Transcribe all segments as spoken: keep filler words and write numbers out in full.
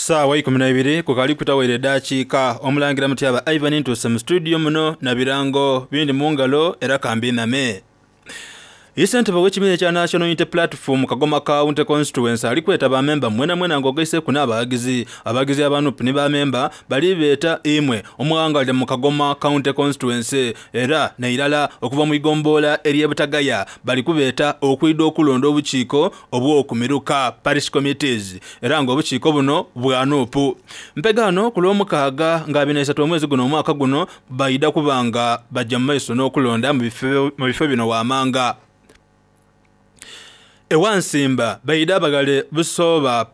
Saawa ikumi na ibiri kukali kutawaire dakiika. Omulangira Mutyaba Ivan ntuuse mu studio muno na birango bindi mu ngalo era kambiname. Ssentebe w'ekibiina ekya National Unity Platform Kagoma County Constituency ali kweta bamemba mwena mwena ng'ogaiseku n'abawagizi abawagizi aba N U P ni bamemba bali beeta imwe omughangalire mu Kagoma County Constituency era n'eirala okuva mu igombolola ery'e Butagaya bali kubeeta okwidha okulonda obukiiko obw'okumiruka parish committees era ng'obukiiko buno bwa N U P. Mpegaano ku lw'omukaaga nga abiri na isatu omwezi guno omwaka guno baidha kuba nga bajja mu maiso n'okulonda mu bifo bino wamanga. Ewansimba baidha baghale Busoba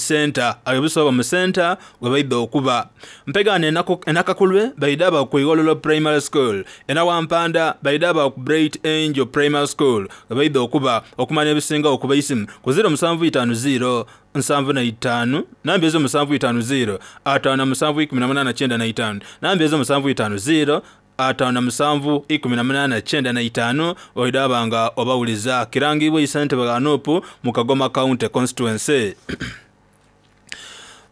Center, ayo Busoba mu center we baidha okuba. Mpegaano enakakulwe baidha ba ku Igololo Primary School. Enawampanda baidha ba ku Bright Angel Primary School we baidha okuba. Okumanya ebisingawo okuba isimu ku ziro musanvu itaanu ziro nsanvu na itaanu namba ezo musanvu itaanu ziro ataano na musanvu ikumi na munaana kyenda na itaanu namba ezo musanvu itaanu ziro ataano na musanvu ikumi na munaana kyenda na itaanu oidaba nga obawuliza. Kirangibwa ssentebe wa N U P mu Kagoma County Constituency.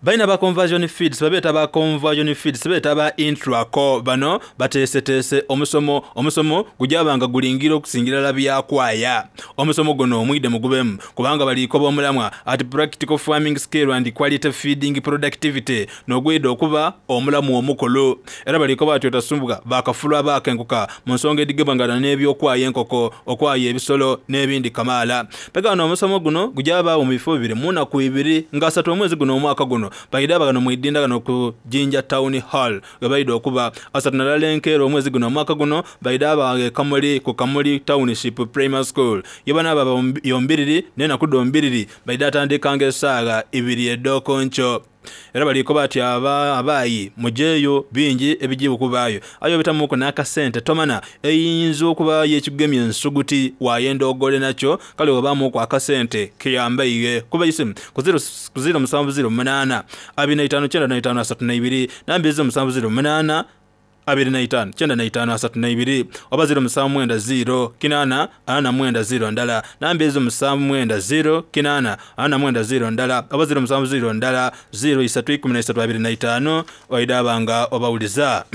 Balina ba Conversion Feeds, babeeta ba Conversion Feeds, beeta ba Intraco. Bano bateeseteese omusomo, omusomo gujabanga gulingira okusingira byakwaya. Omusomo guno omwide mugubemu kubanga balikoba omulamwa ati practical farming skill and quality feeding productivity n'ogwida okuba omulamu omukulu. Era balikoba ati otasumbuka bakafulu abakenkuka mu nsonga edigebangana n'ebyokwaya enkoko, okwaya ebisolo n'ebindi kamaala. Pegano omusomo guno gujabaawo mu bifo bibiri mu nnaku ibiri nga asatu omwezi guno omwaka guno baidha bagano mwidinda gano ku Jinja Town Hall we baidha okuba. Asatu nalala enkeera omwezi guno omwaka guno baidha baga Kamuli ku Kamuli Township Primary School ye bana baba yombiriri n'enaku dhombiriri baidha atandikanga esaaga ibiri ed'okonco. Era balikoba ati aba abayi mujeeyo bingi ebijibu okubaayo ayo bitamuku n'akasente tomana eyinza okubaayo ekigemya ensuguti wayenda ogole nakyo kale obaamuku akasente kiyambaire kuba isimu ku ziro musanvu ziro munaana abiri na itaano kyenda na itaano asatu na ibiri namba ezo musanvu ziro munaana abiri na itaano kyenda na itaano asatu na ibiri oba ziro musanvu mwenda ziro kinaana ana na mwenda ziro ndala namba ezo musanvu mwenda ziro kinaana ana na mwenda ziro ndala oba ziro musanvu ziro ndala ziro isatu ikumi na isatu abiri na itaano oidabanga obawuliza.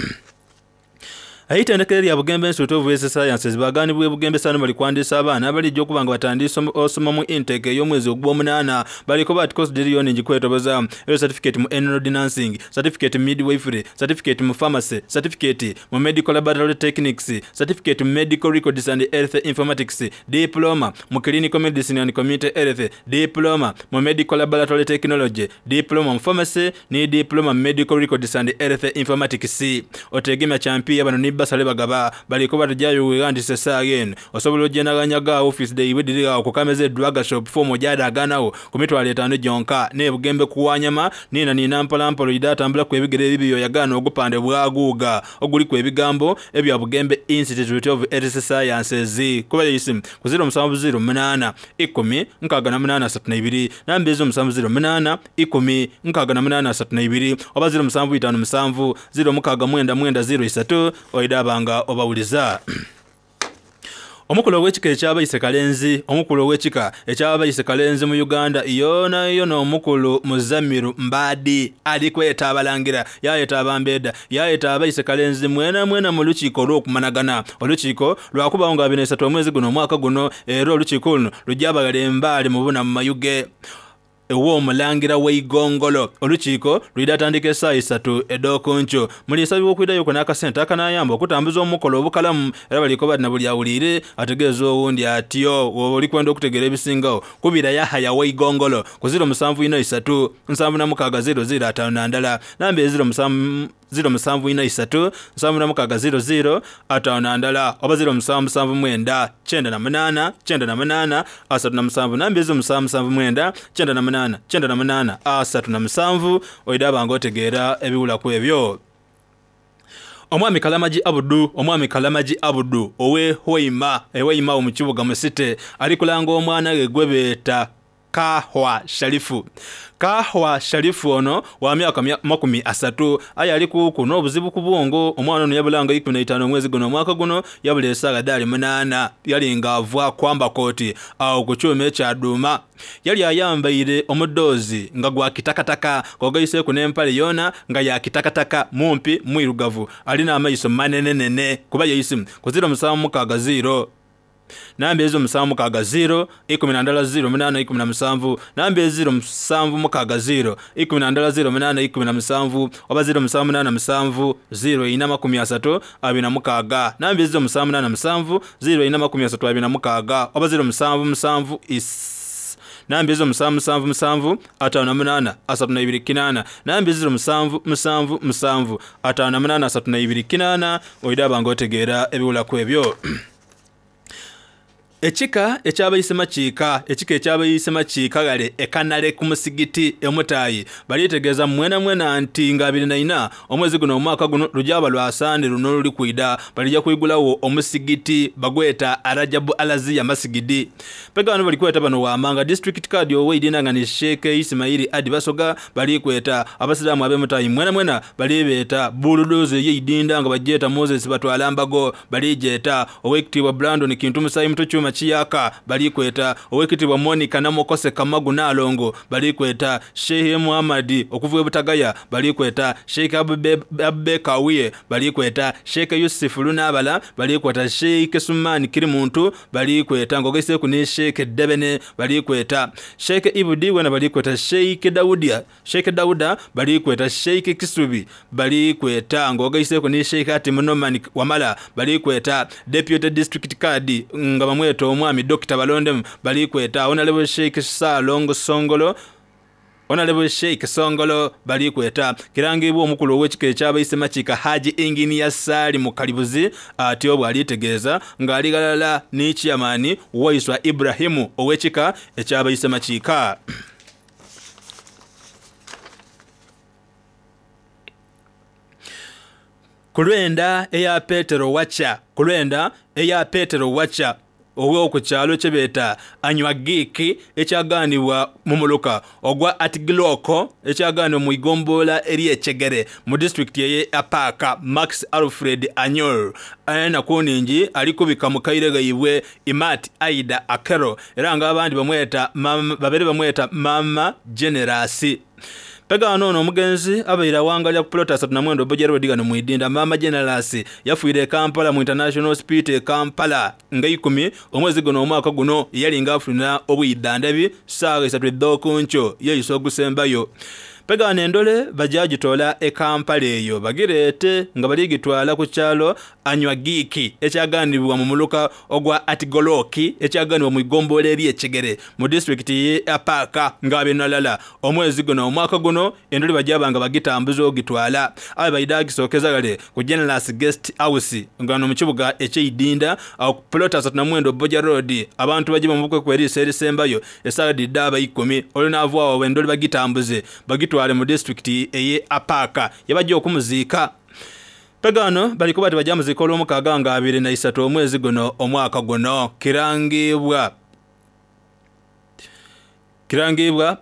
Eitendekero lya Bugembe Institute of Health Sciences baganibwa Bugembe sano bali kwandisa abaana abalijja okuba nga batandise osoma mu intake ey'omwezi ogw'omunaana. Baliko bati course diriyoni ngikwetoboza eyo certificate mu enrolled nursing, certificate mu midwifery, certificate mu pharmacy, certificate mu medical laboratory techniques, certificate mu medical records and health informatics, diploma mu clinical medicine and community health, diploma mu medical laboratory technology, diploma mu pharmacy ni diploma mu medical records and health informatics. Otegemya champion bano ni basale bagaba baliko batujayo wegandise essaawa eno osobola ogyenaganyaga office day ibwedirira ku Kameze Drug Shop fomu gyadaganawo ku mitwalo etaano gyonka ne Bugembe kuwanyama nina nina mpolampola ida atambula ku ebigere ebibi oyagaana ogupande bwaguuga oguliku ebigambo ebya Bugembe Institute of Health Sciences. Kuba isimu ku ziro musanvu ziro munaana ikumi nkaaga na munaana asatu na ibiri namba ezo musanvu ziro munaana ikumi nkaaga na munaana asatu na ibiri oba ziro musanvu itaano musanvu ziro mukaaga mwenda mwenda ziro isatu oidabanga obawuliza. Omukulu ow'ekika ekyabayise Kalenzi, omukulu ow'ekika ekyabayise Kalenzi mu Uganda yona yona omukulu Muzamiru Mbadi ali kweta abalangira yayeta abambeda yayeta abayise Kalenzi mwena mwena mu lukiiko olw'okumanagana. Olukiiko lwakubawo nga abiri na isatu omwezi guno omwaka guno era olukiiko luno lujja embaali mu buna mu Mayuge ew'omulangira w'eigongolo. Olukiiko lwidde atandika essaawa isatu ed'okunkyo. Muliisabibwa okwiddayo ku n'akasente akanayamba okutambuza omukolo obukalamu era baliko bati na buli awuliire ategeeza owundi atyo woba oli kwenda okutegeera ebisingawo kubira Yahaya w'eigongolo ku ziro musanvu ina isatu nsanvu na mukaaga ziro ziro ataano na ndala namba eziro musanvu ziro musanvu ina isatu nsanvu na mukaaga ziro ziro ataano na ndala oba ziro musanvu musanvu mwenda kyenda na munaana kyenda na munaana asatu na musanvu namba ezo musanvu musanvu mwenda kyenda na munaana kyenda na munaana asatu na musanvu oidaba nga otegeera ebiwulaku ebyo. Omwami Kalamaji Abudu, omwami Kalamaji Abudu owe Hoima, ewe Hoima mu kibuga Musite ali kulanga omwana we gwe beeta Kahwa Sharifu. Kahwa Sharifu ono wa myaka makumi asatu aye ali kuku n'obuzibu ku bwongo. Omwana ono yabulanga ikumi na itaano omwezi guno omwaka guno yabula esaaga dhaali munaana yali nga ava kwamba kooti awo ku kyuma ekyaduuma. Yali ayambaire omudoozi nga gwa kitakataka kogaiseeku n'empale yoona nga ya kitakataka mumpi mwirugavu alina amaiso manenenene kuba yeisimu ku ziro musanvu mukaaga ziro namba ezo musanvu mukaaga ziro ikumi na ndala ziro munaana ikumi na musanvu namba eziro musanvu mukaaga ziro ikumi na ndala ziro munaana ikumi na musanvu oba ziro musanvu munaana musanvu ziro ina makumi asatu abiri na mukaaga namba ezo musanvu munaana musanvu ziro ina makumi asatu abiri na mukaaga oba ziro musanvu musanvu is namba ezo musanvu musanvu musanvu ataano na munaana asatu na ibiri kinaana namba eziro musanvu musanvu musanvu ataano na munaana asatu na ibiri kinaana oidaba nga otegeera ebiwulaku ebyo. Ekika ekyabayise makiika ekika ekyabayise makiika gale ekanale ku musigiti emutayi balitegeeza mwena mwena nti nga abiri na ina omwezi guno omwaka guno lujaba lwasande luno luli kwida balijja kwigulawo omusigiti bagweta Arajabu Alaziya Masigidi. Pega bano balikweta bano wamanga district card oweidina nga ni Sheikh Ismaili Adi Basoga balikweta abasiraamu ab'emutayi mwena mwena balibeeta buludoze yeidinda nga bajeta Moses batwala mbago balijeta owekitibwa Brandon Kintu Musayi Muto Chiyaka balikweta owekitibwa Monica Namokose Kamagu Nalongo balikweta Sheikh Muhammad okuva Butagaya balikweta Sheikh Abbe Kawiye balikweta Sheikh Yusuf Lunabala balikweta Sheikh Sumani Kirimuntu balikweta ngogese ku ne Sheikh Debene balikweta Sheikh Ibudi wena balikweta Sheikh Daudia Sheikh Dauda balikweta Sheikh Kisubi balikweta ngogese ku ne Sheikh Atimunoman Wamala balikweta Deputy District Card nga bamweta omwami Doctor Balondem balikweta Honorable Sheikh Salongo Songolo Honorable Sheikh Songolo balikweta kirangibwa omukulu ow'ekika ekyabayise makiika Haji Engineer Sali Mukalibuzi atyo bw'alitegeeza ng'ali galala ne chairman Waiswa Ibrahimu ow'ekika ekyabayise makiika. Kulwenda eya Petero Wacha kulwenda eya Petero Wacha owo ku kyalo kyebeeta Anywagiki ekyaganibwa mu muluka ogwa Atigiloko ekyaganibwa mu igombola ery'Ekyegere mu disitulikiti eye Apaaka Max Alfred Anyol ayina kuningi alikubika mu kaire gaibwe Imat Aida Akero era nga abandi bamweta babere bamweta Mama Generasi. Pega ono omugenzi abaira wangalya ku plot asatu na mwenda obojero digano muidinda Mama Generasi yafuire Kampala mu International Hospital Kampala nga ikumi omwezi guno omwaka guno yali nga afuna obuyiddandabi saawa esatu ed'okunco yeyiso ogusembayo. Pega nendole bajagitola e Kampala eyo bagirete nga baligitwala ku kyalo Anywagiki ekyaganibwa mu muluka ogwa Atigoloki ekyaganibwa mu igombola ery'Ekyegere mu disitulikiti ye Apaaka nga benalala omwezi guno omwaka guno endole bajabanga bagitambuza ogitwala abe bayidagisokeza gale ku Generous Guest House nga no mu kibuga ekyeidinda awo ku plot asatu na mwenda Oboja Road abantu baje bamubukwe kweriisa erisembayo esaawa didda ikumi olunavaawo endole bagitambuze bagitwala mu disitulikiti eye Apaaka yabajja okumuziika. Pegano baliko bati bajja muziika olw'omukaaga nga abiri na isatu omwezi guno omwaka guno kirangibwa kirangibwa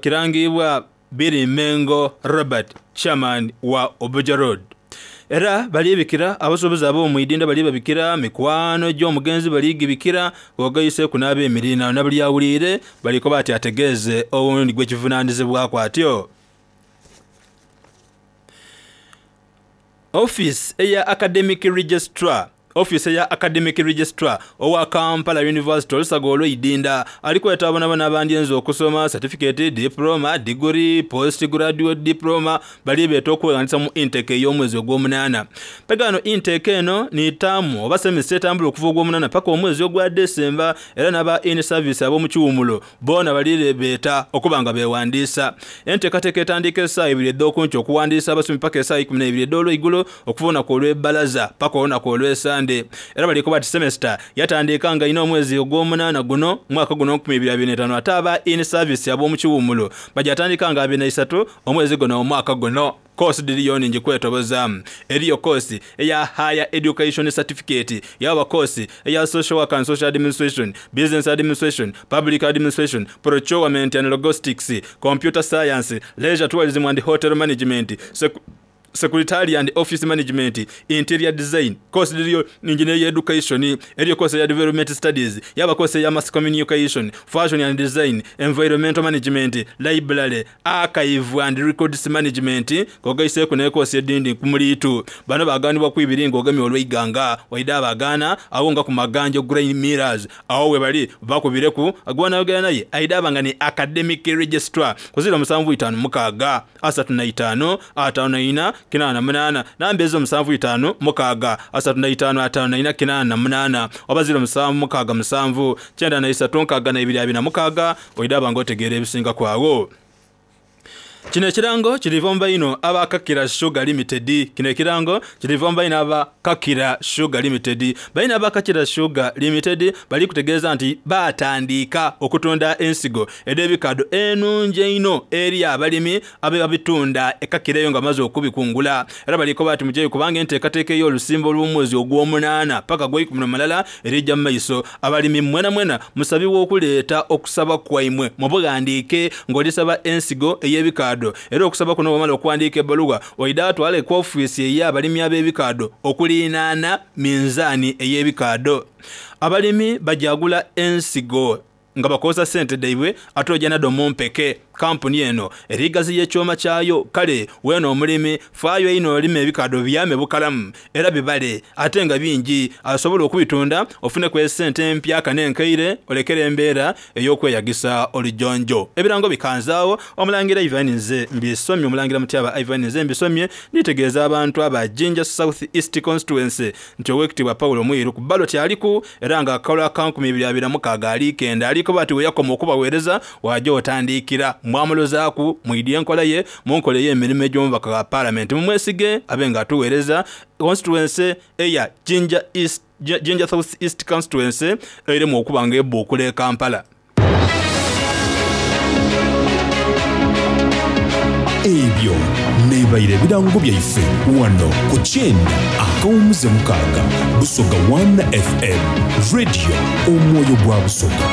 kirangibwa Biri Mengo Robert chairman wa Oboja Road. Era balibikira abasuubuzi ab'omuidinda balibabikira mikwano gy'omugenzi baligibikira wagayise kunaaba emirina nabalyawulire baliko bati ategeeze owundi gwekivunaanyizibwako atyo. Office eya Academic Registrar Office ya Academic Registrar owa Kampala University olusaga olw'eidinda alikweta abonabona abandyenza okusoma certificate, diploma, degree, postgraduate diploma balibeeta okwewandiisa mu intake ey'omwezi ogw'omunaana. Pegano intake eno ni taamu oba semester etambula okuva ogw'omunaana paka omwezi ogwa December era n'aba in service ab'omu kiwumulo boona balibeeta okuba nga beewandiisa. Enteekateeka etandika essaawa ibiri ed'okunkyo okuwandiisa abasomi paka essaawa ikumi n'ebiri ed'olweigulo okuva olunaku olw'ebbalaza paka olunaku olw'esande. Butonde. Era bali kuba ati semester yatandika nga ina omwezi ogw'omunaana guno mwaka guno nkumi ibiri abiri n'etaano, ate aba in service ab'omu kiwummulo bajatandika nga abiri na isatu omwezi guno omwaka guno. Course diriyo ningi kwetoboza. Eriyo course eya higher education certificate, yaba course eya social work and social administration, business administration, public administration, procurement and logistics, computer science, leisure tourism and hotel management, sec secretary and office management, interior design. Course diriyo engineering education, eriyo course ya development studies, yaba course ya mass communication, fashion and design, environmental management, library, archive and records management. Kogaise ku ne course edindi kumulitu. Bano baganibwa kwibiringo ogamye olweiganga waida abagana awo nga ku Maganjo Grain Millers awo we bali bakubireku agwana yogera naye aida abanga ni academic registrar kuzira musanvu itaano mukaaga asatu na itaano ataano na ina kinana munana namba ezo musanvu itaano mukaaga asatu na itaano ataano na ina kinana munana oba ziro musanvu mukaaga musanvu kyenda na isatu nkaaga na ibiri abiri na mukaaga oida abanga otegeera ebisinga kwawo. Kino ekirango kiriva mu baino aba Kakira Sugar Limited. Kino ekirango kiriva mu baino aba Kakira Sugar Limited. Baino aba Kakira Sugar Limited bali kutegeeza nti batandika okutunda ensigo ed'ebikado enungi eno eri abalimi abe babitunda ekakira eyo nga bamaze okubikungula. Era baliko bati mujeyo kubanga enteekateeka ey'olusimbo lw'omwezi ogw'omunaana paka gw'eikumi na mulala erijja mu maiso. Abalimi mwena mwena musabibwa okuleeta okusaba kwaimwe mubughandiike ng'olisaba ensigo ey'ebikado. Era okusaba kuno bw'omala okuwandiika ebbaluwa oida atwale ku ofiisi ey'abalimi ab'ebikado okulinaana minzaani ey'ebikado. Abalimi bajagula ensigo nga bakozesa ssente daibwe ate ojja naddo mu mpeke. Kampuni eno erigaziya ekyoma kyayo kale weeno omulimi faayo ino olima ebikado byame bukalamu era bibale ate nga bingi asobola okubitunda ofuneku essente empyaka n'enkaire olekere embeera ey'okweyagisa olujonjo. Ebirango bikanzaawo. Omulangira Ivan nze mbisomye, omulangira Mutyaba Ivan nze mbisomye nitegeeza abantu aba Jinja South East Constituency nti owekitiibwa Paulo Mwiru ku ballot aliku era nga akakola ka nkumi ibiri abiri na mukaaga alikenda aliko bati we yakoma okubaweereza wajja otandikira mwamulozaaku mwidye enkola ye munkola ey'emirimu egy'omubaka wa paalamenti mumwesige abe nga atuweereza constituency eya Jinja East, Jinja South East Constituency erimu okuba nga ebbuukula e Kampala. Ebyo nebaire ebirango byaife wano ku kyenda akawumuze mukaaga Busoga one F M Radio omwoyo gwa Busoga.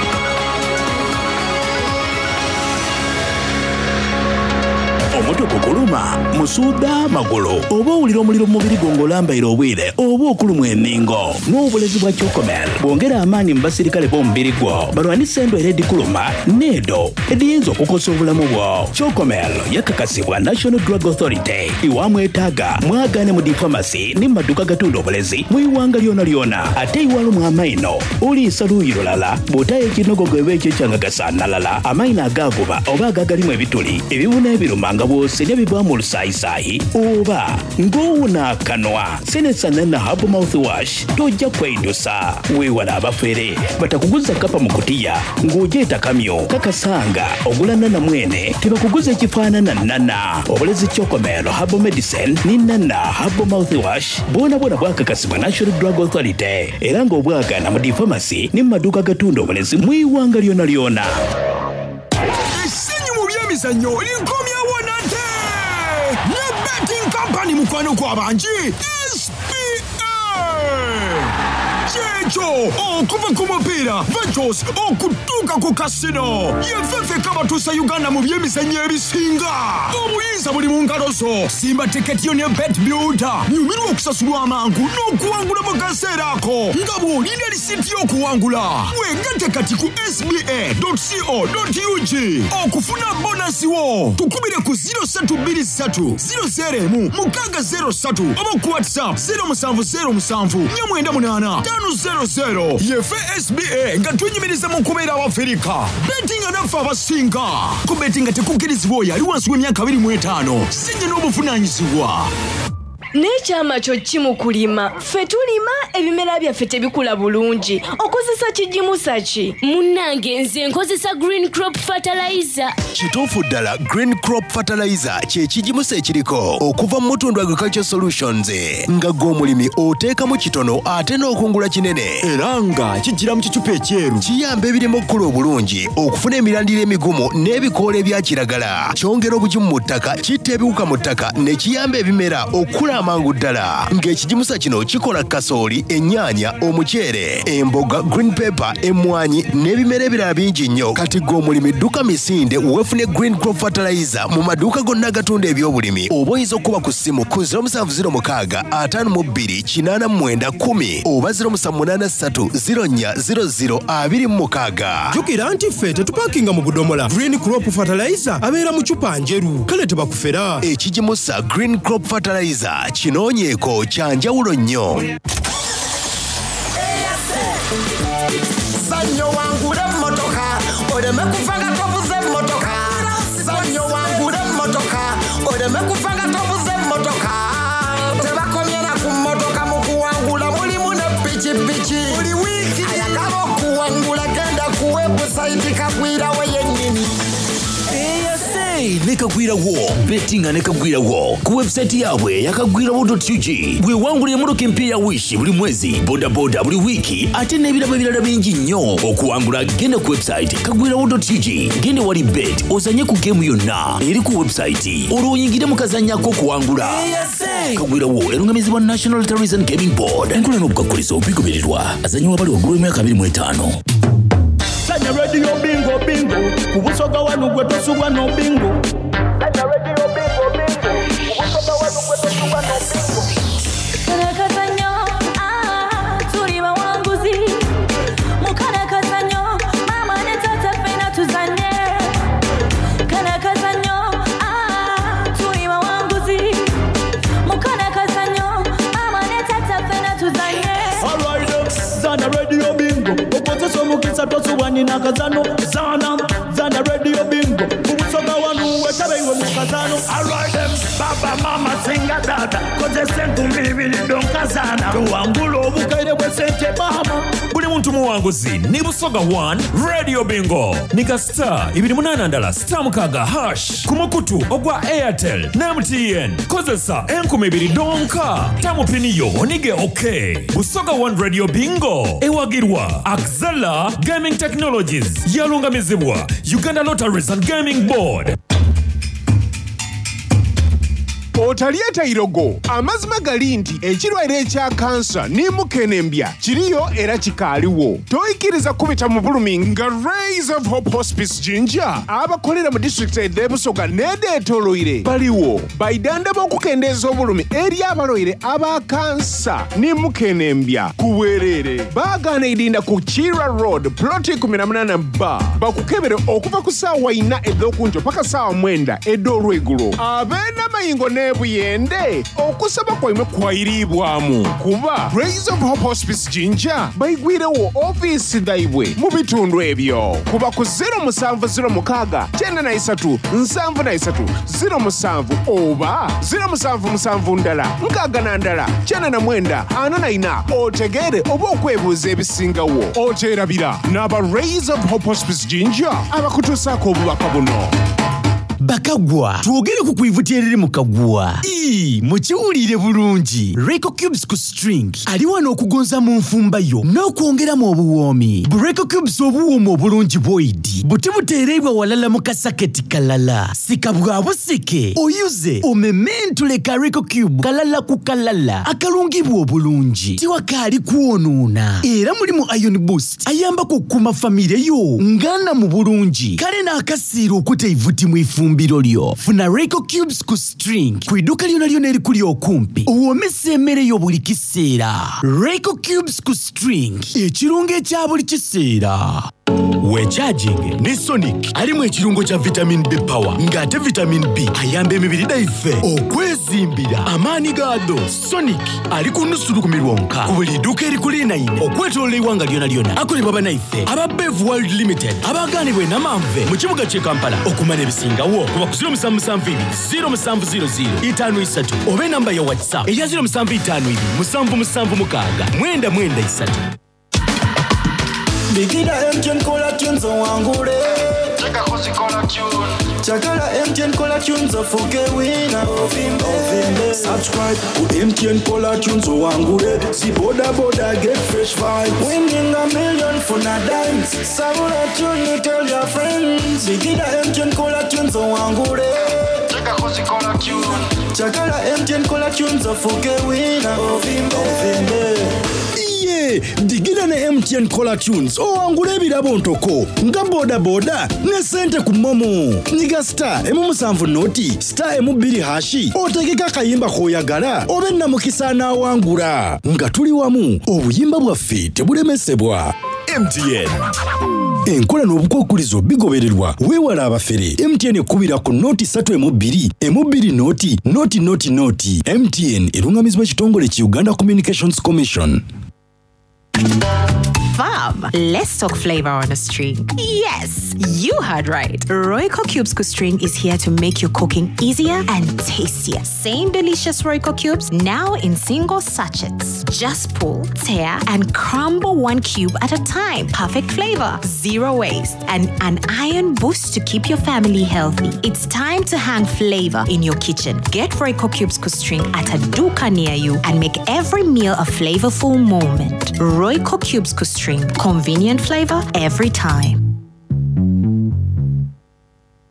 Omutwe gukuluma, musuuda magulu, oba owulira omuliro mu mubiri gwo ng'olambaire obwire, oba okulumwa enningo. N'obulezi bwa Chocomel bwongera amaanyi mu basirikale b'omubiri gwo, balwanisa endwaire edikuluma n'edo ediyinza okukosa obulamu bwo. Chocomel yakakasibwa National Drug Authority. Iwamwetaaga mwagaane mu difamasi ne mu maduuka gatunda obulezi mu iwanga lyona lyona. Ate iwalumwa amaino oliisa luuyi lulala, bw'otayo ekinogogo eba ekyo ekyangagasaanalala, amaino agaavuba oba agagalimu ebituli, ebibuna ebiruma nga bw'osenya bivaamu olusaayisayi oba ng'owuna akanwa. Senesa Nana Herbal Mouthwash tojja kweidusa. Weewala abafere batakuguza kapa mu kutiya ng'ogyeta kamyo kakasanga ogula Nana mwene tebakuguza ekifaanana Nana. Obulezi Chocomel Herbal Medicine ni Nana Herbal Mouthwash bwona bwona bwakakasibwa National Drug Authority era ng'obwagana mu difamasi ne mu maduuka agatunda obulezi mu iwanga lyona lyona. Essanyu mu byemizannyo likomyewo nate ne betting company mukwano gw'abangi S P A. Kyekyo okuva ku mupiira Ventures okutuuka ku kasino yefefe kabatuusa Uganda mu byemizannyo ebisinga. Obuyinza buli mu ngalo zo. Simba tiketi yo ne Bet Builder nyumirwa okusasulwa amangu n'okuwangula mu kaseera ako nga bw'olinda lisiti y'okuwangula. Weegatte kati ku S B A dot C O dot U G okufuna bonasi wo. Tukubire ku zero ssatu bbiri ssatu zero zero emu mukaaga zero ssatu oba ku WhatsApp zero musanvu zero musanvu nnya mwenda munaana ttaano zero zero. Yefe S B A nga twenyumiriza mu kubeera Abafirika. Bettinga naffe abasinga. Ku bettinga tekukkirizibwa oyo ali wansi w'emyaka abiri mu etaano. Sinye n'obuvunaanyizibwa. N'ekyama kyo ki mu kulima? Ffe tulima ebimera byaffe tebikula bulungi. Okozesa kigimusa ki? Munnange, nze nkozesa Green Crop Fertilizer. Kituufu ddala, Green Crop Fertilizer kye kigimusa ekiriko okuva mu Mutundu Agriculture Solutions, nga gwe omulimi oteekamu kitono ate n'okungula kinene, era nga kijjira mu kicupa ekyeru. Kiyamba ebirimu okukula obulungi, okufuna emirandira emigumu n'ebikoola ebya kiragala. Kyongera obugimu mu ttaka, kitta ebiwuka mu ttaka ne kiyamba ebimera okukula amangu ddala. Ng'ekigimusa kino kikola kasooli, ennyaanya, omuceere, emboga, green pepper, emmwanyi n'ebimera ebirala bingi nnyo. Kati gwe omulimi dduka misinde weefune Green Crop Fertilizer mu maduuka gonna agatunda ebyobulimi, oba oyinza okuba ku ssimu ku zero musanvu zero mukaaga ataano mu bbiri kinaana mu mwenda kkumi oba zero musanvu munaana ssatu zero nnya zero zero abiri mu mukaaga. Jjukira nti ffe tetupakinga mu budomola. Green Crop Fertilizer abeera mu cupa njeru, kale tebakufera. Ekigimusa Green Crop Fertilizer kinoonyeeko, kya njawulo nnyo. Zanyo wangule emmotoka, oleme kufa nga tovuze emmotoka. Zanyo wangule emmotoka, oleme kufa nga tovuze emmotoka. Tebakomye na ku mmotoka, mu kuwangula mulimu ne pikipiki. Buli wiiki ayagala okuwangula genda ku webusayiti Kagwirawo yennyini. Ne Kagwirawo bettinga ne Kagwirawo ku website yaabwe yakagwirawo dot U G. Bwewangulira emmotoka empya ya Wish buli mwezi, bodaboda buli wiiki, ate n'ebirabo ebirala bingi nnyo. Okuwangula genda ku website kagwirawo dot U G, genda wali bet, ozanye ku game yonna eri ku website, olwo oyingire mu kazanyo ak'okuwangula. Kagwirawo erungamizibwa National Lotteries and Gaming Board. Enkola n'obukakkulizo bigobererwa. Azanyibwa bali waggulu w'emyaka abiri mu etaano. Sanya Radio Bingo Bingo ku Busoga wanu, gwe tosubwa no bingo. Sanya Radio Bingo Bingo ku Busoga wanu, gwe tosubwa no bingo. Kano ah, tuli bawanguzi mu kano kazannyo. Maama ne taata ffena tuzanye kano kazannyo. ah, tuli bawanguzi mu kano kazannyo. Maama ne taata ffena tuzanye. Alright, zana Radio Bingo, okozesa omukisa, tosubwa nina kazano. Zana zana Radio Bingo ku Busoga wanu, wetabe iwe mu kazano. Alright them, baba, mama, singa dada, kozesa enkumi ibiri donkazana, towangula obukaire bw'esente mama. Buli muntu muwanguzi ni Busoga one Radio Bingo. Nika star ibiri munana ndala star mukaga hash ku mukutu ogwa Airtel ne M T N. Kozesa enkumi ibiri donka tamupiniyo onige. OK, Busoga one Radio Bingo ewagirwa Axela Gaming Technologies, yalungamizibwa Uganda Lotteries and Gaming Board. Otalyeta irogo. Amazima gali nti ekirwaire ekya kansa ne mukenembya kiriyo era kikaaliwo. Toyikiriza kubita mu bulumi nga Rays of Hope Hospice Jinja abakolera mu disitulikiti ed'Ebusoga n'edeetoloire baliwo baidanda b'okukendeeza obulumi eri abalwaire aba kansa ne mukenembya ku bwereere. Baagaana idinda ku Kira Road, ploti eighteen B, bakukebere okuva ku ssaawa ina ed'okunkyo paka ssaawa mwenda ed'olwegulo. Ab'enamayingo n'ebuyende, okusaba kwaimwe kwayiriibwamu kuba Rays of Hope Hospice Jinja bayigwirewo ofiisi dhaibwe mu bitundu ebyo. Kuba ku zero musanvu zero mukaaga kyenda na isatu nsanvu na isatu zero musanvu oba zero musanvu musanvu ndala nkaaga na ndala kyenda na mwenda ana na ina, otegeere oba okwebuuza ebisingawo. Oteerabira n'aba Rays of Hope Hospice Jinja abakutuusaako obubaka buno. Bakagwa, twogere ku kwivuti eriri mu kagwa. Ii, mukiwulire bulungi. Reco Cubes ku string ali wano okugonza mu nfumba yo n'okwongeramu obuwoomi. Reco Cubes, obuwoomi obulungi bwoidi buti buteereibwa walala mu kasaketi kalala. Sika bwa busike, oyuze omementule ka Reco Cube kalala ku kalala akalungibwa obulungi, tiwakaali kwonoona, era mulimu iron boost ayambako okukuuma famire yo ngana mu bulungi. Kale n'akasiira okuta eivuti mu ifumbiro lyo. Funa Reco Cubes ku string ku idduka lyona lyona erikuli okumpi, owoomesa emmere yo buli kiseera. Reco Cubes ku string, ekirungo ekya buli kiseera. Wechaginge ne Sonic alimu ekirungo kya vitamin B power ng'ate vitamin B ayamba emibiri gyaffe okwezimbira amaanyi gaado. Sonic ali ku nusu lukumi lwonka ku buli dduuka erikulinaine okwetoloola eggwanga lyona lyona. Akolebwa bannaffe aba Bev World Limited abagaanibwa e Namanve mu kibuga ky'e Kampala. Okumanya ebisingawo kuba ku zero musanvu musanvu ibiri zero musanvu zero zero itaano isatu oba enamba ya WhatsApp eya zero musanvu itaano ibiri musanvu musanvu mukaaga mwenda mwenda isatu. Bigida M T N caller tunes owangule. Chakala M T N caller tunes ofuke winner. Ovimbe. Subscribe ku M T N caller tunes owangule. Si boda boda, get fresh vibes. Winning a million funa dimes. Sabula tune, tell your friends. Bigida M T N caller tunes owangule. Chakala M T N caller tunes ofuke winner. Ovimbe. Ovimbe. Iye digida ne M T N caller tunes owangula ebirabo ntoko nga bodaboda ne sente ku MoMo. Nyiga star emu musanvu noti star emu bbiri hash, otegeka akayimba k'oyagala obe namukisa anaawangula. Nga tuli wamu, obuyimba bwaffe tebulemesebwa. M T N. Enkola n'obukwakulizo bigobererwa. Weewala abafere. M T N ekkubira ku noti ssatu emu bbiri emu bbiri noti noti noti noti. M T N erungamizibwa ekitongole ki Uganda Communications Commission. Fam, let's talk flavor on a string. Yes, you heard right. Royco Cubes String is here to make your cooking easier and tastier. Same delicious Royco Cubes, now in single sachets. Just pull, tear, and crumble one cube at a time. Perfect flavor, zero waste, and an iron boost to keep your family healthy. It's time to hang flavor in your kitchen. Get Royco Cubes String at a duka near you and make every meal a flavorful moment. Royco Cubes String, convenient flavor every time.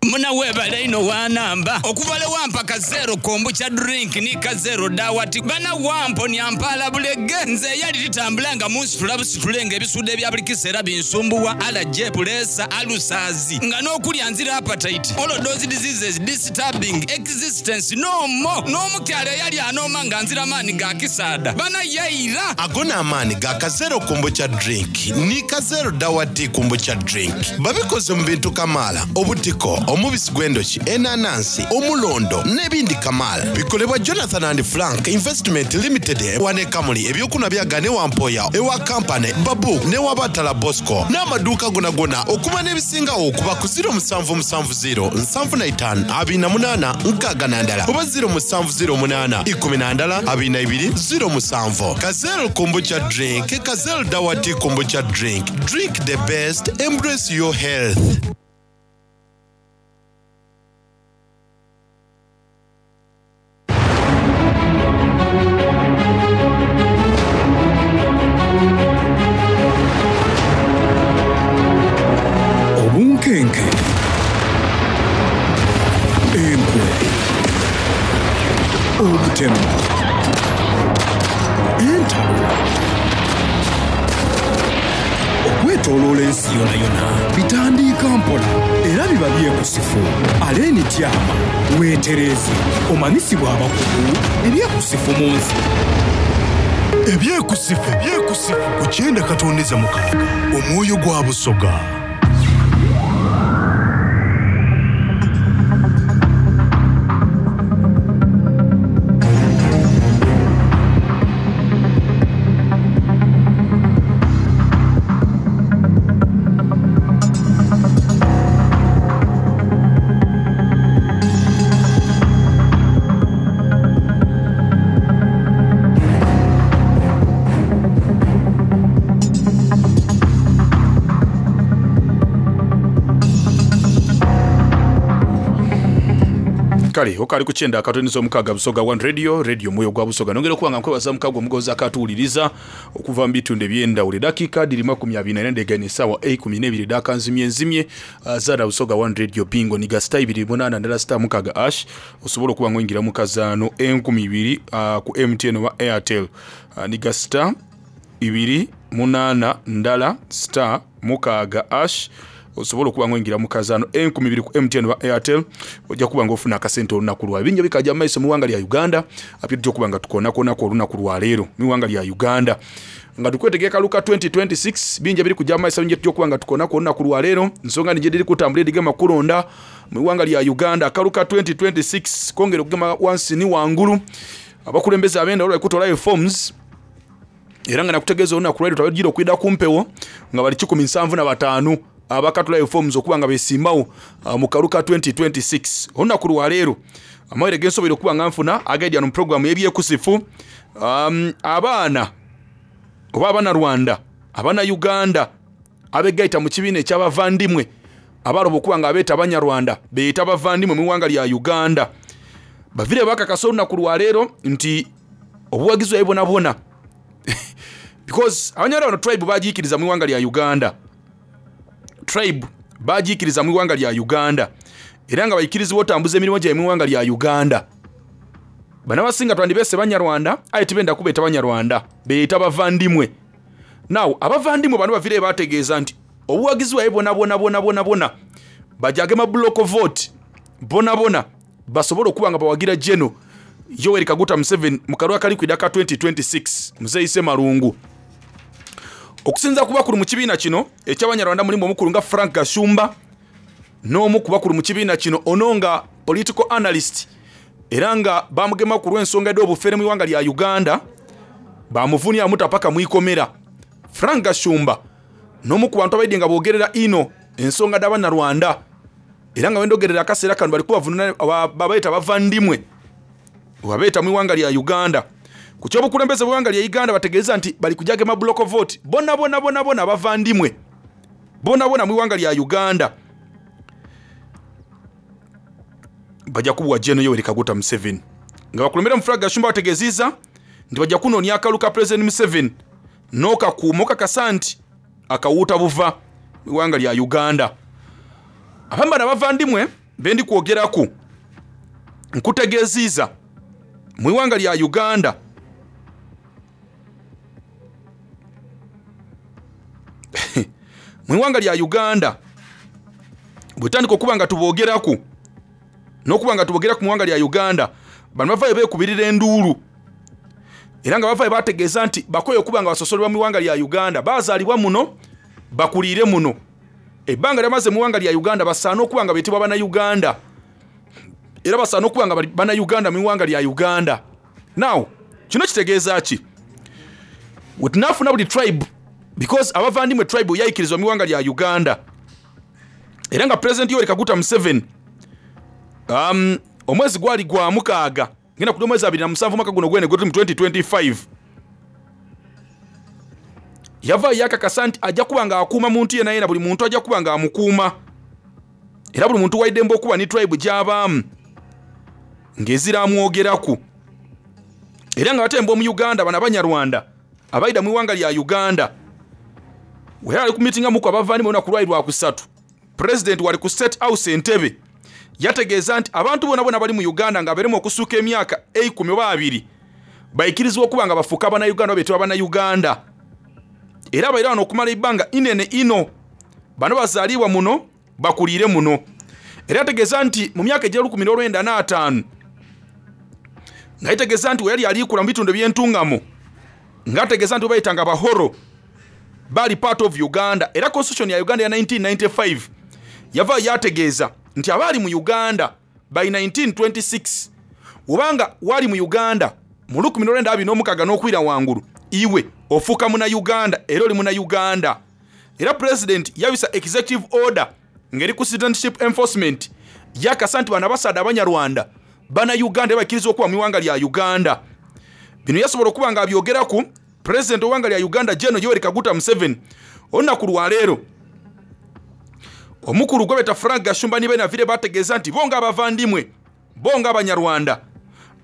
Muna webale ino wanamba okuva le wampa kazero kombucha drink ni kazero dawati bana wampo ni ampala bulege. Nze yali litambula nga munsitula busitulenga ebisude ebya buli kiseera binsumbuwa, allergy, pressure, ulcers, nga n'okulya nzira appetite, all those diseases disturbing existence no more. N'omukyala eyali anooma nga nzira maanyi ga kisaada bana yayira. Ago n'amaanyi ga kazero kombucha drink ni kazero dawati kombucha drink. Babikoze mu bintu kamaala: obutiko, omubisi gw'endoki, enanansi, omulondo n'ebindi kamaala. Bikolebwa Jonathan and Frank Investment Limited wane Kamuli. Ebyokunwa byaga ne wampoya ewa kampany babu ne wabatala Bosco n'amaduuka gonagona. Okuba n'ebisingawo okuba ku zero musanvu musanvu zero nsanvu na itaano abiri na munaana nkaaga na ndala oba zero musanvu zero munaana ikumi na ndala abiri na ibiri zero musanvu. Kazero kombucha drink, kazero dawati kombucha drink. Drink the best, embrace your health. Obunkenke, enkwe, obutemu, entalo okwetooloola ensi yona yona bitandiika mpola era biba byekusifu. Aleeni tyama weetereeze omanyisibwa abakugu ebyekusifu mu nsi. Ebyekusifu, ebyekusifu ku kyenda katondeza mukaaga, omwoyo gwa Busoga. Kale okali ku kyenda akatonizo omukaaga, Busoga One Radio, radio omwoyo gwa Busoga. Nongera okuba nga nkwebaza mukago omugozi akatuwuliriza okuva mu bitundu ebyendawulo. Eddakiika diri makumi abiri na ndegane essaawa ekumi n'ebiri dakanzimye nzimye. uh, zara Busoga One Radio bingo niga star ibiri munaana ndala star mukaaga hash, osobola okuba nga oyingira mu kazaano enkumi ibiri uh, ku M T N oba Airtel. uh, niga star ibiri munaana ndala star mukaaga hash. Osobola okuba nga oyingira mu kazaano enkumi ibiri ku M T N oba Airtel, ojja kuba nga ofuna akasente olunaku lwa bingi bikajja mu maiso mu ggwanga lya Uganda. Apye tujja okuba nga tukonakonako olunaku lwa leero mu ggwanga lya Uganda nga tukwetegeka luka twenty twenty-six. Bingi biri kujja mu maiso bingi tujja okuba nga tukonako olunaku lwa leero. Nsonga nje diri kutambula edigema kulonda mu ggwanga lya Uganda akaluka twenty twenty-six kongera okugema wansi ni wangulu. Abakulembeze abenda olwa kutola reforms era nga nakutegeeza olunaku lwa leero twagira okwida kumpewo nga bali kikumi nsanvu na bataano abakatula reforms okuba nga besimbawo mu kaluka twenty twenty-six. Olunaku lwa leero amawulire gensobola okuba nga nfuna agaidya mu program y'ebyekusifu, um, abaana oba Abanyarwanda, Abannayuganda abegaita mu kibiina eky'abavandimwe abaloba okuba nga abeeta Abanyarwanda beeyita abavandimwe mu ggwanga lya Uganda bavire bakakasa olunaku lwa leero nti obuwagizi bwabwe bwona bwona because Abanyarwanda bano tribe bagiikiriza mu ggwanga lya Uganda, tribe bagiikiriza mu ggwanga lya Uganda era nga bayikirizibwa otambuza emirimu gyabwe mu ggwanga lya Uganda. Bano abasinga twandibese Banyarwanda aye tibenda kubeeta Banyarwanda, beeyita bavandimwe. Now abavandimwe bano bavire bategeeza nti obuwagizi bwabwe bwona bwona bwona bwona bwona bajagema block vote bona bona basobole okuba nga bawagira General Yoweri Kaguta Museveni mu kalulu akali kwida ka twenty twenty-six. Muzeeyi Ssemalungu okusinza ku bakulu mu kibiina kino eky'Abanyarwanda mulimu omukulu nga Frank Gashumba n'omu ku bakulu mu kibiina kino ono nga political analyst era nga bamugema ku lw'ensonga ed'obufere mu ggwanga lya Uganda bamuvunia amuta paka mwikomera. Frank Gashumba n'omu ku bantu abaidde nga boogerera ino ensonga d'Abanyarwanda era nga wendogerera akaseera kano bali kubavununa babayita bavandimwe obabeeta mu ggwanga lya Uganda. Ku ky'obukulembeze bw'eggwanga lya Uganda bategeeza nti bali kujagema block vote bonna bonna bonna bonna bavandimwe bonna bonna mu ggwanga lya Uganda bajja kubuwa General Yoweri Kaguta Museveni nga bakulembera mu Frank Gashumba bategeezizza nti bajja kunoonya akalu ka President Museveni n'okakuuma okakasa nti akawuuta buva mu ggwanga lya Uganda. Abambana bavandimwe be ndi kwogeraku nkutegeezizza mu ggwanga lya Uganda mu ggwanga lya Uganda bwetandika okuba nga tuboogeraku n'okuba nga tuboogera ku ggwanga lya Uganda bano bavaayo beekubirira enduulu era nga bavaayo bategeeza nti bakoye okuba nga basosolebwa mu ggwanga lya Uganda, baazaalibwa muno bakuliire muno, ebbanga lyamaze mu ggwanga lya Uganda basaana okuba nga beetibwa Bannayuganda era basaana okuba nga Bannayuganda mu ggwanga lya Uganda. Now kino kitegeeza ki? Wetunaafuna buli tribe because abavandimwe tribe yayikirizwa mu ggwanga lya Uganda era nga President Yoweri Kaguta Museveni um, omwezi gwali gwa mukaaga ngenda ku mwezi abiri na musanvu mwaka guno gwene gwetuli mu twenty twenty-five yava yakakasa nti ajja kuba nga akuuma muntu yenna yenna, buli muntu ajja kuba nga amukuuma era buli muntu waidembe okuba ni tribe gy'abaamu ng'ezira amwogeraku. Era nga batemba omu Uganda bano Abanyarwanda abaida mu ggwanga lya Uganda we yali ku meeting amuku abavandimwe olunaku lwali lwa kusatu, President wali ku State House Entebbe yategeeza nti abantu bonna bonna bali mu Uganda nga beremu okusuuka emyaka eikumi oba abiri bayikirizibwa okuba nga bafuuka Bannayuganda oba beetibwa Bannayuganda era abaira wano okumala ebbanga inene ino bano bazaalibwa muno bakuliire muno. Era yategeeza nti mu myaka egy'olukumi n'olwenda n'ataano nga yetegeeza nti we yali aliikula mu bitundu eby'entungamo ng'ategeeza nti we bayitanga Abahoro bali part of Uganda era constitution ya Uganda ya nineteen ninety-five yava yategeeza nti abaali mu Uganda by nineteen twenty-six obanga wali mu Uganda mu lukumi n'olwenda abiri n'omukaaga n'okwira wangulu iwe ofuuka muna Uganda era oli muna Uganda. Era President yabisa executive order ng'eri ku citizenship enforcement yakasa nti bano abasaadde Abanyarwanda bana Uganda bakkiriza okuba mu ggwanga lya Uganda. Bino yasobola okuba nga abyogeraku President w'eggwanga lya Uganda General Yoweri Kaguta Museveni olunaku lwa leero. Omukulu gwebeta Frank Gashumba ni Benavire bategeeza nti bo ng'abavandimwe bo ng'Abanyarwanda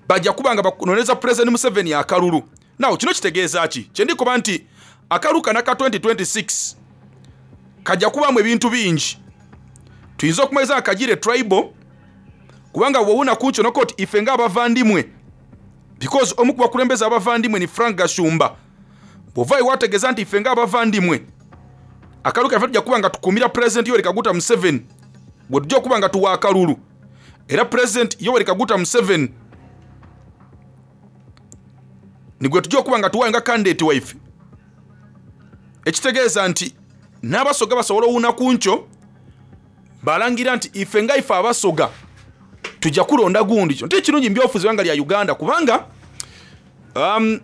bajja kuba nga bakunoneza President Museveni akalulu. Now kino kitegeeza ki? Kye ndikuba nti akalulu kano aka twenty twenty-six kajja kubaamu ebintu bingi. Tuyinza okumaliza nga kagire tribal kubanga bw'owuna ku kino koti ife ng'abavandimwe because omu ku bakulembeze abavandimwe ni Frank Gashumba bw'ovaayo wategeeza nti ife ng'abavandimwe Akalulu kaffe tujja kuba nga tukuumira Pulezidenti Yoweri Kaguta Museveni gwe tujja okuba nga tuwa akalulu. Era Pulezidenti Yoweri Kaguta Museveni ni gwe tujja okuba nga tuwaayo nga kandidate waife. Ekitegeeza nti n'Abasoga basobola owuuna ku nkyo balangira nti ife nga ife Abasoga tujja kulonda gundi. Kyo nti kirungi mu byobufuzi bbanga lya Uganda, kubanga um,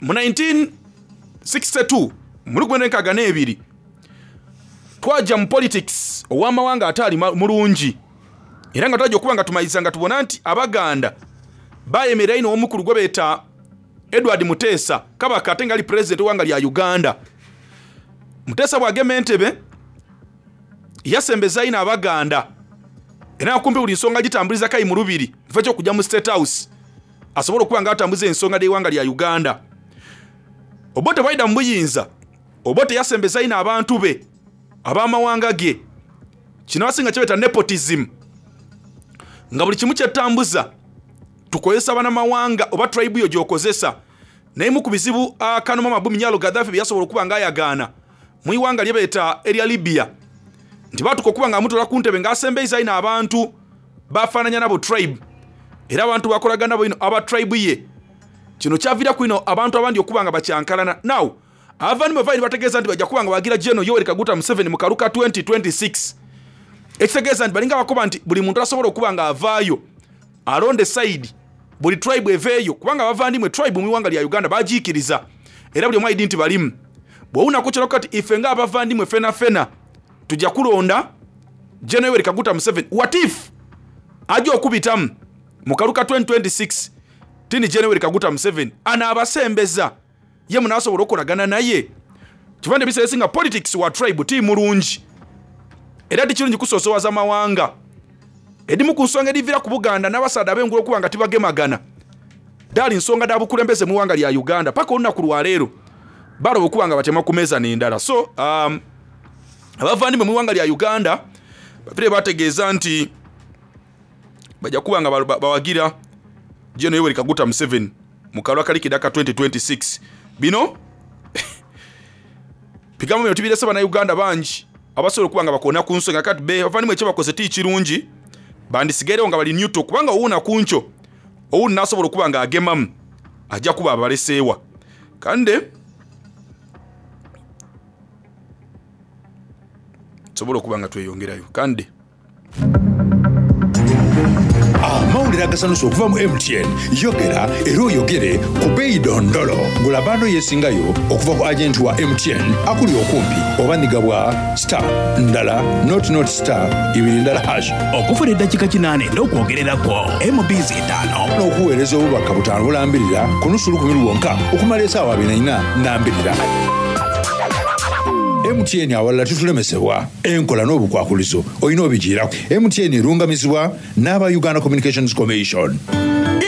mu nineteen sixty-two, mu lukumi n'enkaaga n'ebiri, twajja mu politics ow'amawanga ataali mulungi, era nga twajja okuba nga tumaliriza nga tubona nti Abaganda bayemerera ino omukulu gwe beeta Edward Muteesa, kabaka ate nga ali pulezidenti w'eggwanga lya Uganda. Muteesa bw'agema entebe yasembeza ino Abaganda, era nga kumpi buli nsonga gitambuliza kayi mu lubiri nfa kyokujja mu State House asobole okuba nga atambuza ensonga d'eggwanga lya Uganda. Obote bwayida mu buyinza, Obote yasembeza ino abantu be ab'amawanga ge. Kino abasinga kyebeta nepotism, nga buli kimu kyetambuza tukozesa banamawanga oba tribe yo gy'okozesa. Naye mu ku bizibu akanoma Mabumi Nyalo Gaddafi bye yasobola okuba nga ayagaana mu iwanga lye beeta erya Libya, nti batuka okuba nga amutola ku ntebe ng'asembeiza ino abantu bafaananya nabo tribe, era abantu bakolagana bo ino aba tribe ye. Kino kyaviiraku ino abantu abandi okuba nga bakyankalana. Now abavandimwe vaini bategeeza nti bajja kuba nga bagira General Yoweri Kaguta Museveni mu kaluka twenty twenty-six. Ekitegeeza nti balinga bakoba nti buli muntu asobola okuba nga avaayo alonde side, buli tribe eveeyo, kubanga abavandimwe tribe mu iwanga lya Uganda bagiikiriza, era buli omu aidi nti balimu. Bw'owunako kyolako kati ife ng'abavandimwe fena fena tujja kulonda General Yoweri Kaguta Museveni. What if ajja okubitamu mu kaluka twenty twenty-six tini General Yoweri Kaguta Museveni anaabasembeza ye munaasobola okukolagana naye? Kiva nti ebiseera ebisinga politics wa tribe ti mulungi, era tikirungi kusoosowaza mawanga. Edimu ku nsonga ediviira ku Buganda n'abasaadha ab'engulu okuba nga tibagemagana daali nsonga da bukulembeze mu ggwanga lya Uganda. Paka olunaku lwaleero baloba okuba nga batema ku meeza n'endala. So um, abavandimwe mu ggwanga lya Uganda bavire bategeeza nti bajja kuba nga bawagira General Yoweri Kaguta Museveni mu kalwa kalikidde aka twenty twenty-six. Bino bigambo bino tubirese Bannayuganda bangi abasobola okuba nga bakoona ku nsonga. Kati be bavandimwe ekyebakoze ti kirungi, bandisigairewo nga bali neutral, kubanga owuuna ku nkyo owuuni n'asobola okuba nga agemamu ajja kuba abaleseewa. Kande tusobole okuba nga tweyongerayo kande. Amawulire agasanusa okuva mu M T N. Yogera era oyogere ku beeyi dondolo. Gula bundle yesingayo okuva ku agenti wa M T N akuli okumpi oba nigabwa star ndala nought nought star ibiri ndala hash. Okufuna eddakiika kinaana n'okwogererako M Bs etaano n'okuweereza obubaka butaano bulambirira ku nusu lukumi lwonka okumala esaawa abiri na nambirira. M T N, awalala tutulemesebwa. Enkola n'obukwakulizo olina obigiirako. M T N erungamizibwa n'aba Uganda Communications Commission.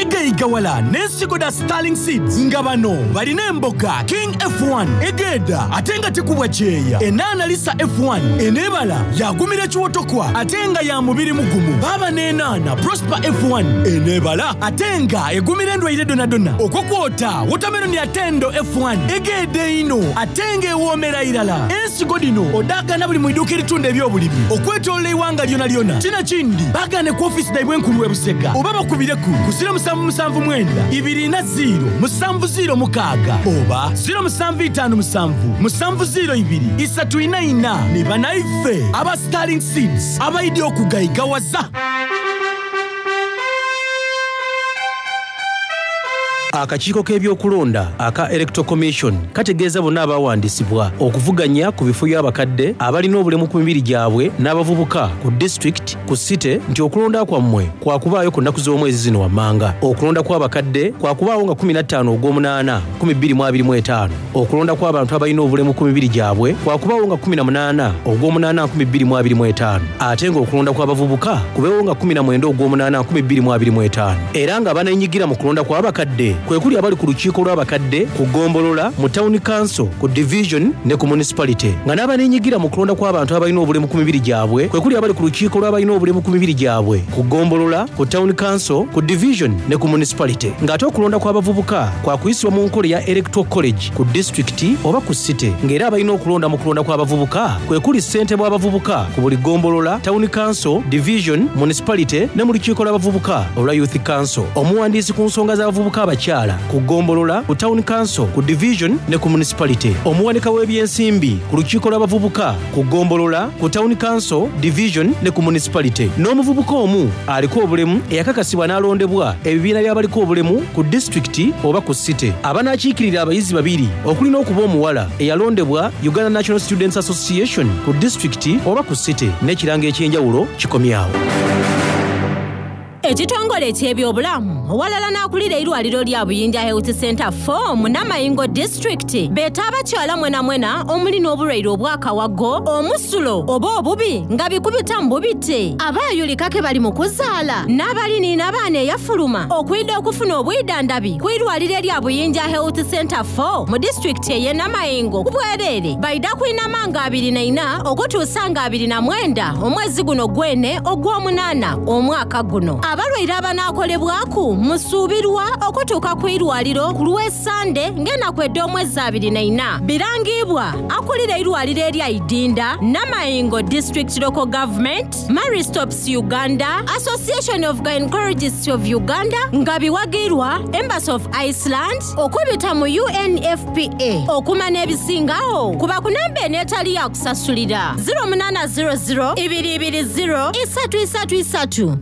Igayigawala n'ensigo da Starling Seeds, nga bano balina emboga King F one egenda ate nga tekubwa kyeya, enaana Lisa F one eneebala yagumira kiwotokwa ate nga ya mubiri mugumu, baaba n'enaana Prosper F one eneebala ate nga egumira endwaire donadona, okwo kwota watermelon atendo F one egenda ino ate ng'ewoomera irala. Ensigo dino odaagana buli mu iduuka eritunda ebyobulimi okwetoloola eiwanga lyona lyona. Kino kindi bagane ku ofisi daibwe enkulu e Busega, oba bakubireku ku zero musanvu musanvu mwenda ibiri na zero musanvu zero mukaaga oba zero musanvu itaano musanvu musanvu zero ibiri isatu ina ina. Ne banaife aba Starling Seeds abaidi okugayigawaza. Akakiiko k'ebyokulonda aka Electoral Commission kategeeza bonna abawandiisibwa okuvuganya ku bifo by'abakadde, abalina obulemu ku mibiri gyabwe n'abavubuka ku disitulikiti ku site nti okulonda kwammwe kwakubaayo ku nnaku z'omwezi zino wammanga. Okulonda kw'abakadde kwakubaawo nga kkumi na ttaano ogw'omunaana nkumi bbiri mu abiri mu ttaano. Okulonda kw'abantu abalina obulemu ku mibiri gyabwe kwakubaawo nga kkumi na munaana ogw'omunaana nkumi bbiri mu abiri mu ttaano, ate ng'okulonda kw'abavubuka kubeewo nga kkumi na mwenda ogw'omunaana nkumi bbiri mu abiri mu ttaano. Era nga baneenyigira mu kulonda kw'abakadde Kwe kuli abali ku lukiiko lw'abakadde ku ggombolola, mu town council, ku division ne ku municipality. Nga n'abaneenyigira mu kulonda kw'abantu abalina obulemu ku mibiri gyabwe kwe kuli abali ku lukiiko lw'abalina obulemu ku mibiri gyabwe ku ggombolola, ku town council, ku division ne ku municipality. Ng'ate okulonda kw'abavubuka kwa kuyisibwa mu nkola eya electoral college ku disitulikiti oba ku city. Ng'era abalina okulonda mu kulonda kw'abavubuka kwe kuli ssentebe w'abavubuka ku buli ggombolola, town council, division, municipality ne mu lukiiko lw'abavubuka olwa youth council. Omuwandiisi ku nsonga z'abavubuka abakyala ku ggombolola, ku town council, ku division ne ku municipality. Omuwanika w'ebyensimbi ku lukiiko lw'abavubuka ku ggombolola, ku town council, division ne ku municipality. N'omuvubuka omu aliko obulemu eyakakasibwa n'alondebwa ebibiina by'abaliko obulemu ku disitulikiti oba ku city. Abanaakiikirira abayizi babiri okuli n'okuba omuwala eyalondebwa Uganda National Students Association ku disitulikiti oba ku city. N'ekirango eky'enjawulo kikomyawo. Ekitongole eky'ebyobulamu owalala n'akulira eirwaliro lya Buyinja Health Center four mu Namayingo District beeta abakyala mwena mwena omuli n'obulwaire obw'akawago, omusulo oba obubi nga bikubita mu bubite, abaayulika ke bali mu kuzaala n'abaliniina abaana eyafuluma okwidda okufuna obwidandambi ku irwaliro erya Buyinja Health Center four mu disitulikiti ey'e Namayingo ku bwereere. Baida kwinama nga abiri na ina okutuusa nga abiri na mwenda omwezi guno gwene ogw'omunaana omwaka guno. Abalwaire abanaakolebwaku musuubirwa okutuuka ku irwaliro ku lw'Essande ng'ennaku ed'omwezi abiri na ina. Birangibwa akulira eirwaliro erya Idinda, Namayingo District Local Government, Marie Stopes Uganda, Association of Gynecologists of Uganda nga biwagirwa Embassy of Iceland okubita mu U N F P A. Okumanya ebisingawo kuba ku namba eno etali ya kusasulira zero munaana zero zero ibiri ibiri zero isatu isatu isatu.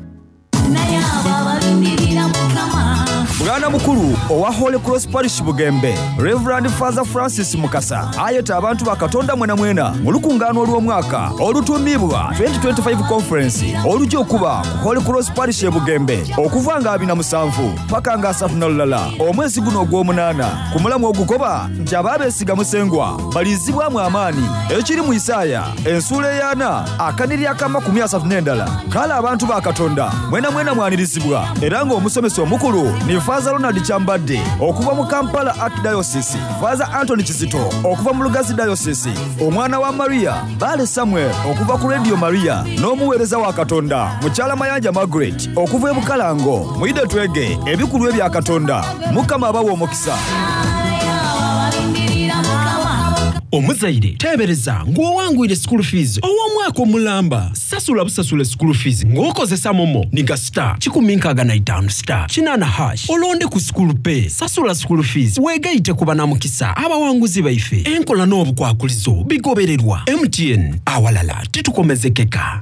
Bwana mukulu owa Holy Cross Parish Bugembe, Reverend Father Francis Mukasa ayeta abantu ba Katonda mwena mwena mu lukungaano olw'omwaka olutuumibwa twenty twenty-five Conference olujja okuba ku Holy Cross Parish e Bugembe okuva nga abiri na musanvu paka nga asatu na lulala omwezi guno ogw'omunaana. Ku mulamu ogugoba nti abaabeesiga Musengwa balizibwamu amaanyi. Ekiri mu Isaaya ensuula ey'ana akaniri ak'amakumi asatu n'endala. Kale abantu ba Katonda mwena mwena mwanirizibwa era ng'omusomesa omukulu ni Father Ronald Kyambadde okuva mu Kampala Archdiocese, Father Anthony Kizito okuva mu Lugazi Diocese, omwana wa Maria Bale Samuel okuva ku Radio Maria n'omuweereza wa Katonda Mukyala Mayanja Margaret okuva e Bukalango. Muyide twege ebikulu ebya Katonda. Mukama abawe omukisa. Omuzaire teebereza ng'owangwire school fees ow'omwaka omulamba. Sasula busasula school fees ng'okozesa momo niga star kikumi nkaaga na itaano star kinaana hash olonde ku school pay. Sasula school fees weegayite ku banamukisa abawanguzi baife. Enkola n'obukwakulizo bigobererwa. M T N awalala titukomezekeka.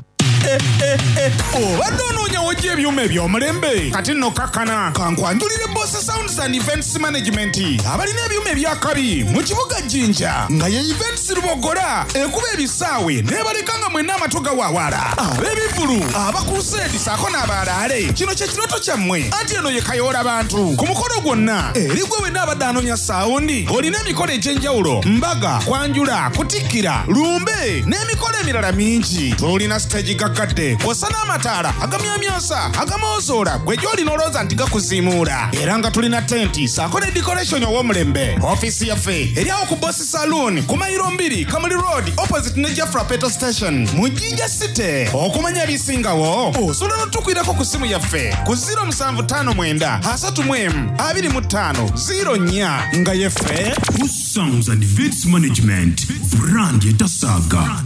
Obadde onoonya w'ojja ebyuma eby'omulembe kati nno kakkana kankwanjulire Boss Sounds and Events Management abalina ebyuma ebyakabi mu kibuga Jinja nga ye Events Lubogola ekuba ebisaawe n'ebaleka nga mwenna amatu gawaawala. Ab'ebivvulu, abakuruseedi ssaako n'abalaale, kino kye kirooto kyammwe anti eno ye kayoola bantu ku mukolo gwonna. Eri gwe wenna abadde anoonya saawundi olina emikolo egy'enjawulo, mbaga, kwanjula, kutikkira, lumbe n'emikolo emirala mingi. Tulina siteegi gaggadde kw'ossa n'amataala agamyamyansa agamoozola gwe gy'olina olowooza nti gakuziimuula. Era nga tulina tenti ssaako ne decoration ow'omulembe. Ofiisi yaffe eri awo ku Boss Saloon ku mayiro mbiri Kamuli Road opposite ne Jafra Petrol Station mu Jinja City. Okumanya ebisingawo osobola n'otukwirako ku ssimu yaffe ku zero musanvu ttaano mwenda asatu mu emu abiri mu ttaano zero nnya nga yeffe Boss Sounds and Events Management brand etasaaga.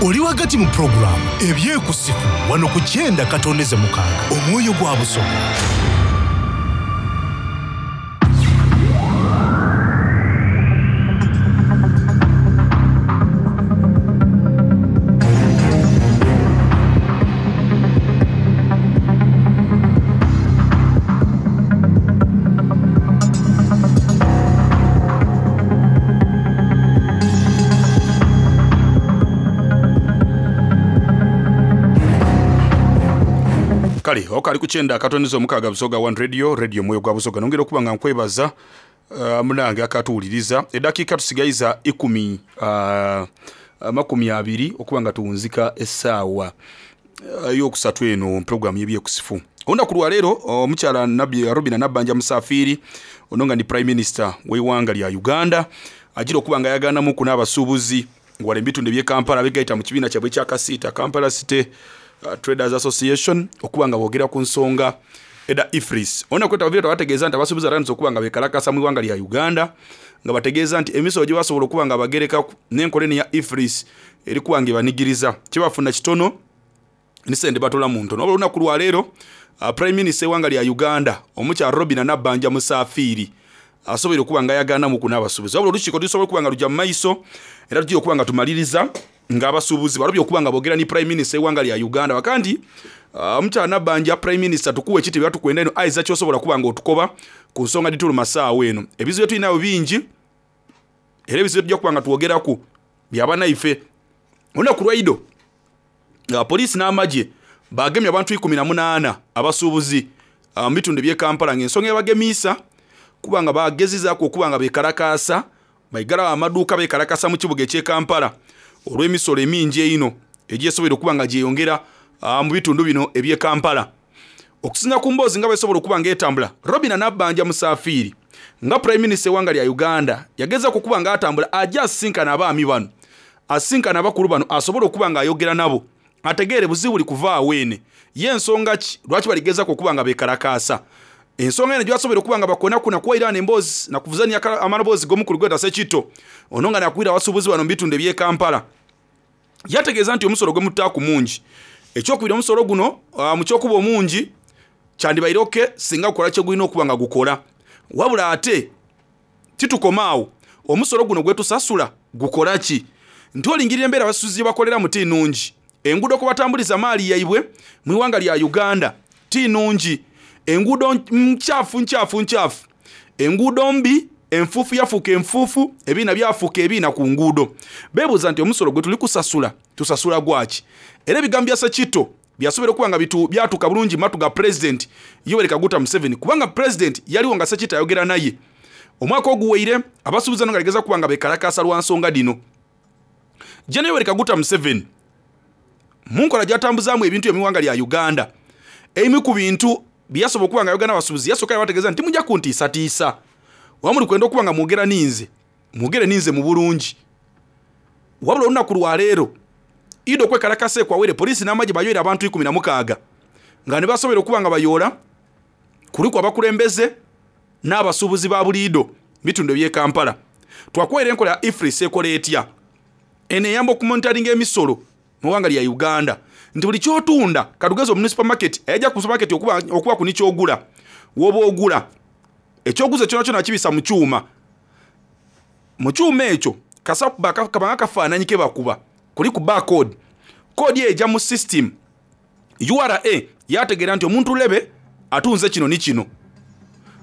Oli wagati mu pulogulaamu ebyekusifu wano ku kyenda katondeze mukaaga omwoyo gwa Busoga. Kale okali kukyenda akatonizo omukaga Busoga One Radio, Radio Mwoyo gwa Busoga. Nongera okuba nga nkwebaza uh, munange akatuwuliriza. Eddakiika tusigayiza ikumi, uh, makumi abiri okuba nga tuwunzika essaawa Eyokusatu eno programu y'ebyekusifu. Olunaku lwaleero omukyala Robina Nabbanja Musafiiri, ono nga ni Prime Minister w'eiwanga lya Uganda, agira okuba nga ayaganamuku n'abasuubuzi wala ebitundu eby'e Kampala abegaita mu kibiina kyabwe ekya Kasiita, Kampala City uh, Traders Association, okuba nga boogera ku nsonga eda EFRIS. Olunaku lwetavire twabategeeza nti abasuubuzi batandise okuba nga bekalakasa mu iwanga lya Uganda, nga bategeeza nti emisolo gye basobola okuba nga bagereka n'enkola eno ya EFRIS eri kuba nga ebanigiriza, kyebafuna kitono ni sente batola mu ntono. Wabula olunaku lwaleero uh, Prime Minister ewanga lya Uganda omukyala Robina Nabbanja Musafiiri asobola okuba nga ayaganamuku n'abasuubuzi. Wabula olukiiko tusobola okuba nga lujja mu maiso era tujja okuba nga tumaliriza ng'abasuubuzi balobye okuba nga boogera ni Prime Minister ewanga lya Uganda. Bakandi omukyala uh, Nabbanja Prime Minister tukuwa ekitiibwa, tukwenda eno aiza kyosobola kuba nga otukoba ku nsonga dituluma saawa eno. Ebizibu tulinayo bingi era ebizibu tujja kuba nga twogeraku byabanaife. Olunaku lwaido uh, poliisi n'amagye bagemye abantu ikumi na munaana abasuubuzi mu uh, bitundu eby'e Kampala, ng'ensonga ebagemiisa kuba nga bagezizaako okuba nga beekalakaasa, baigalawo amaduuka beekalakasa mu kibuga eky'e Kampala olw'emisolo emingi eino egyesobola okuba nga gyeyongera uh, mu bitundu bino eby'e Kampala. Okusinga ku mboozi nga besobola okuba nga etambula, Robina Nabbanja Musafiiri nga Prime Minister ewanga lya Uganda yagezaako okuba nga atambula ajja asisinkana abaami bano, asisinkana abakulu bano, asobole okuba nga ayogera nabo ategeere buzibu buli kuvaawo ene ye ensonga ki lwaki baligezaako okuba nga beekalakaasa. Ensonga eno gyebasobola okuba nga bakonakuna kuwairana emboozi nakuvuzania amaloboozi g'omukulu gweta Sekito ono nga nakwira abasuubuzi bano mu bitundu eby'e Kampala. Yategeeza nti omusolo gwe mutaaku mungi. Ekyokubiri, omusolo guno uh, mu kyokuba omungi kyandibaire oke singa gukola kye gulina okuba nga gukola, wabula ate titukomaawo, omusolo guno gwe tusasula gukola ki? Nti olingirira embeera abasuubuzi gye bakoleramu ti nnungi, enguudo kwe batambuliza maali yaibwe mu iwanga lya Uganda ti nnungi, enguudo nkyafu nkyafu nkyafu, enguudo mbi, enfuufu yafuuka enfuufu, ebiina byafuuka ebiina ku nguudo. Beebuuza nti omusolo gwe tuli kusasula tusasula gwaki? Era ebigambo bya Sekito byasobola okuba nga byatuuka bulungi matu ga Pulezidenti Yoweri Kaguta Museveni, kubanga Pulezidenti yaliwo nga Sekito ayogera naye omwaka oguweire. Abasuubuzi bano nga ligeza kuba nga beekalakaasa lwa nsonga dino. Gen Yoweri Kaguta Museveni mu nkola gy'atambuzaamu ebintu eby'eggwanga lya Uganda, ebimu ku bintu byasobola okuba nga ayogera n'abasuubuzi, yasooka yabategeeza nti mujja kuntiisatiisa, oba muli kwenda okuba nga mwogera ninze, mwogere ninze mu bulungi. Wabula olunaku lwaleero ido okwekalakasa ekwawere, poliisi n'amagye bayoera abantu ikumi na mukaaga nga ne basobola okuba nga bayoola kuliku abakulembeze n'abasuubuzi ba buliido bitundu eby'e Kampala. Twakwera enkola ya EFRIS ekola etya? Eno eyamba okumonitaringa emisolo mu ggwanga lya Uganda, nti buli kyotunda katugeze omu supermarket ayajja ku supermarket okuba, okuba ku nikyogula woba ogula ekyoguza kyona kyona kibisa mu kyuma, mu kyuma ekyo kabanga kafaananyi ke bakuba kuli ku barcode, code eyo ejja mu system U R A yategeera nti omuntu lebe atunze kino ni kino.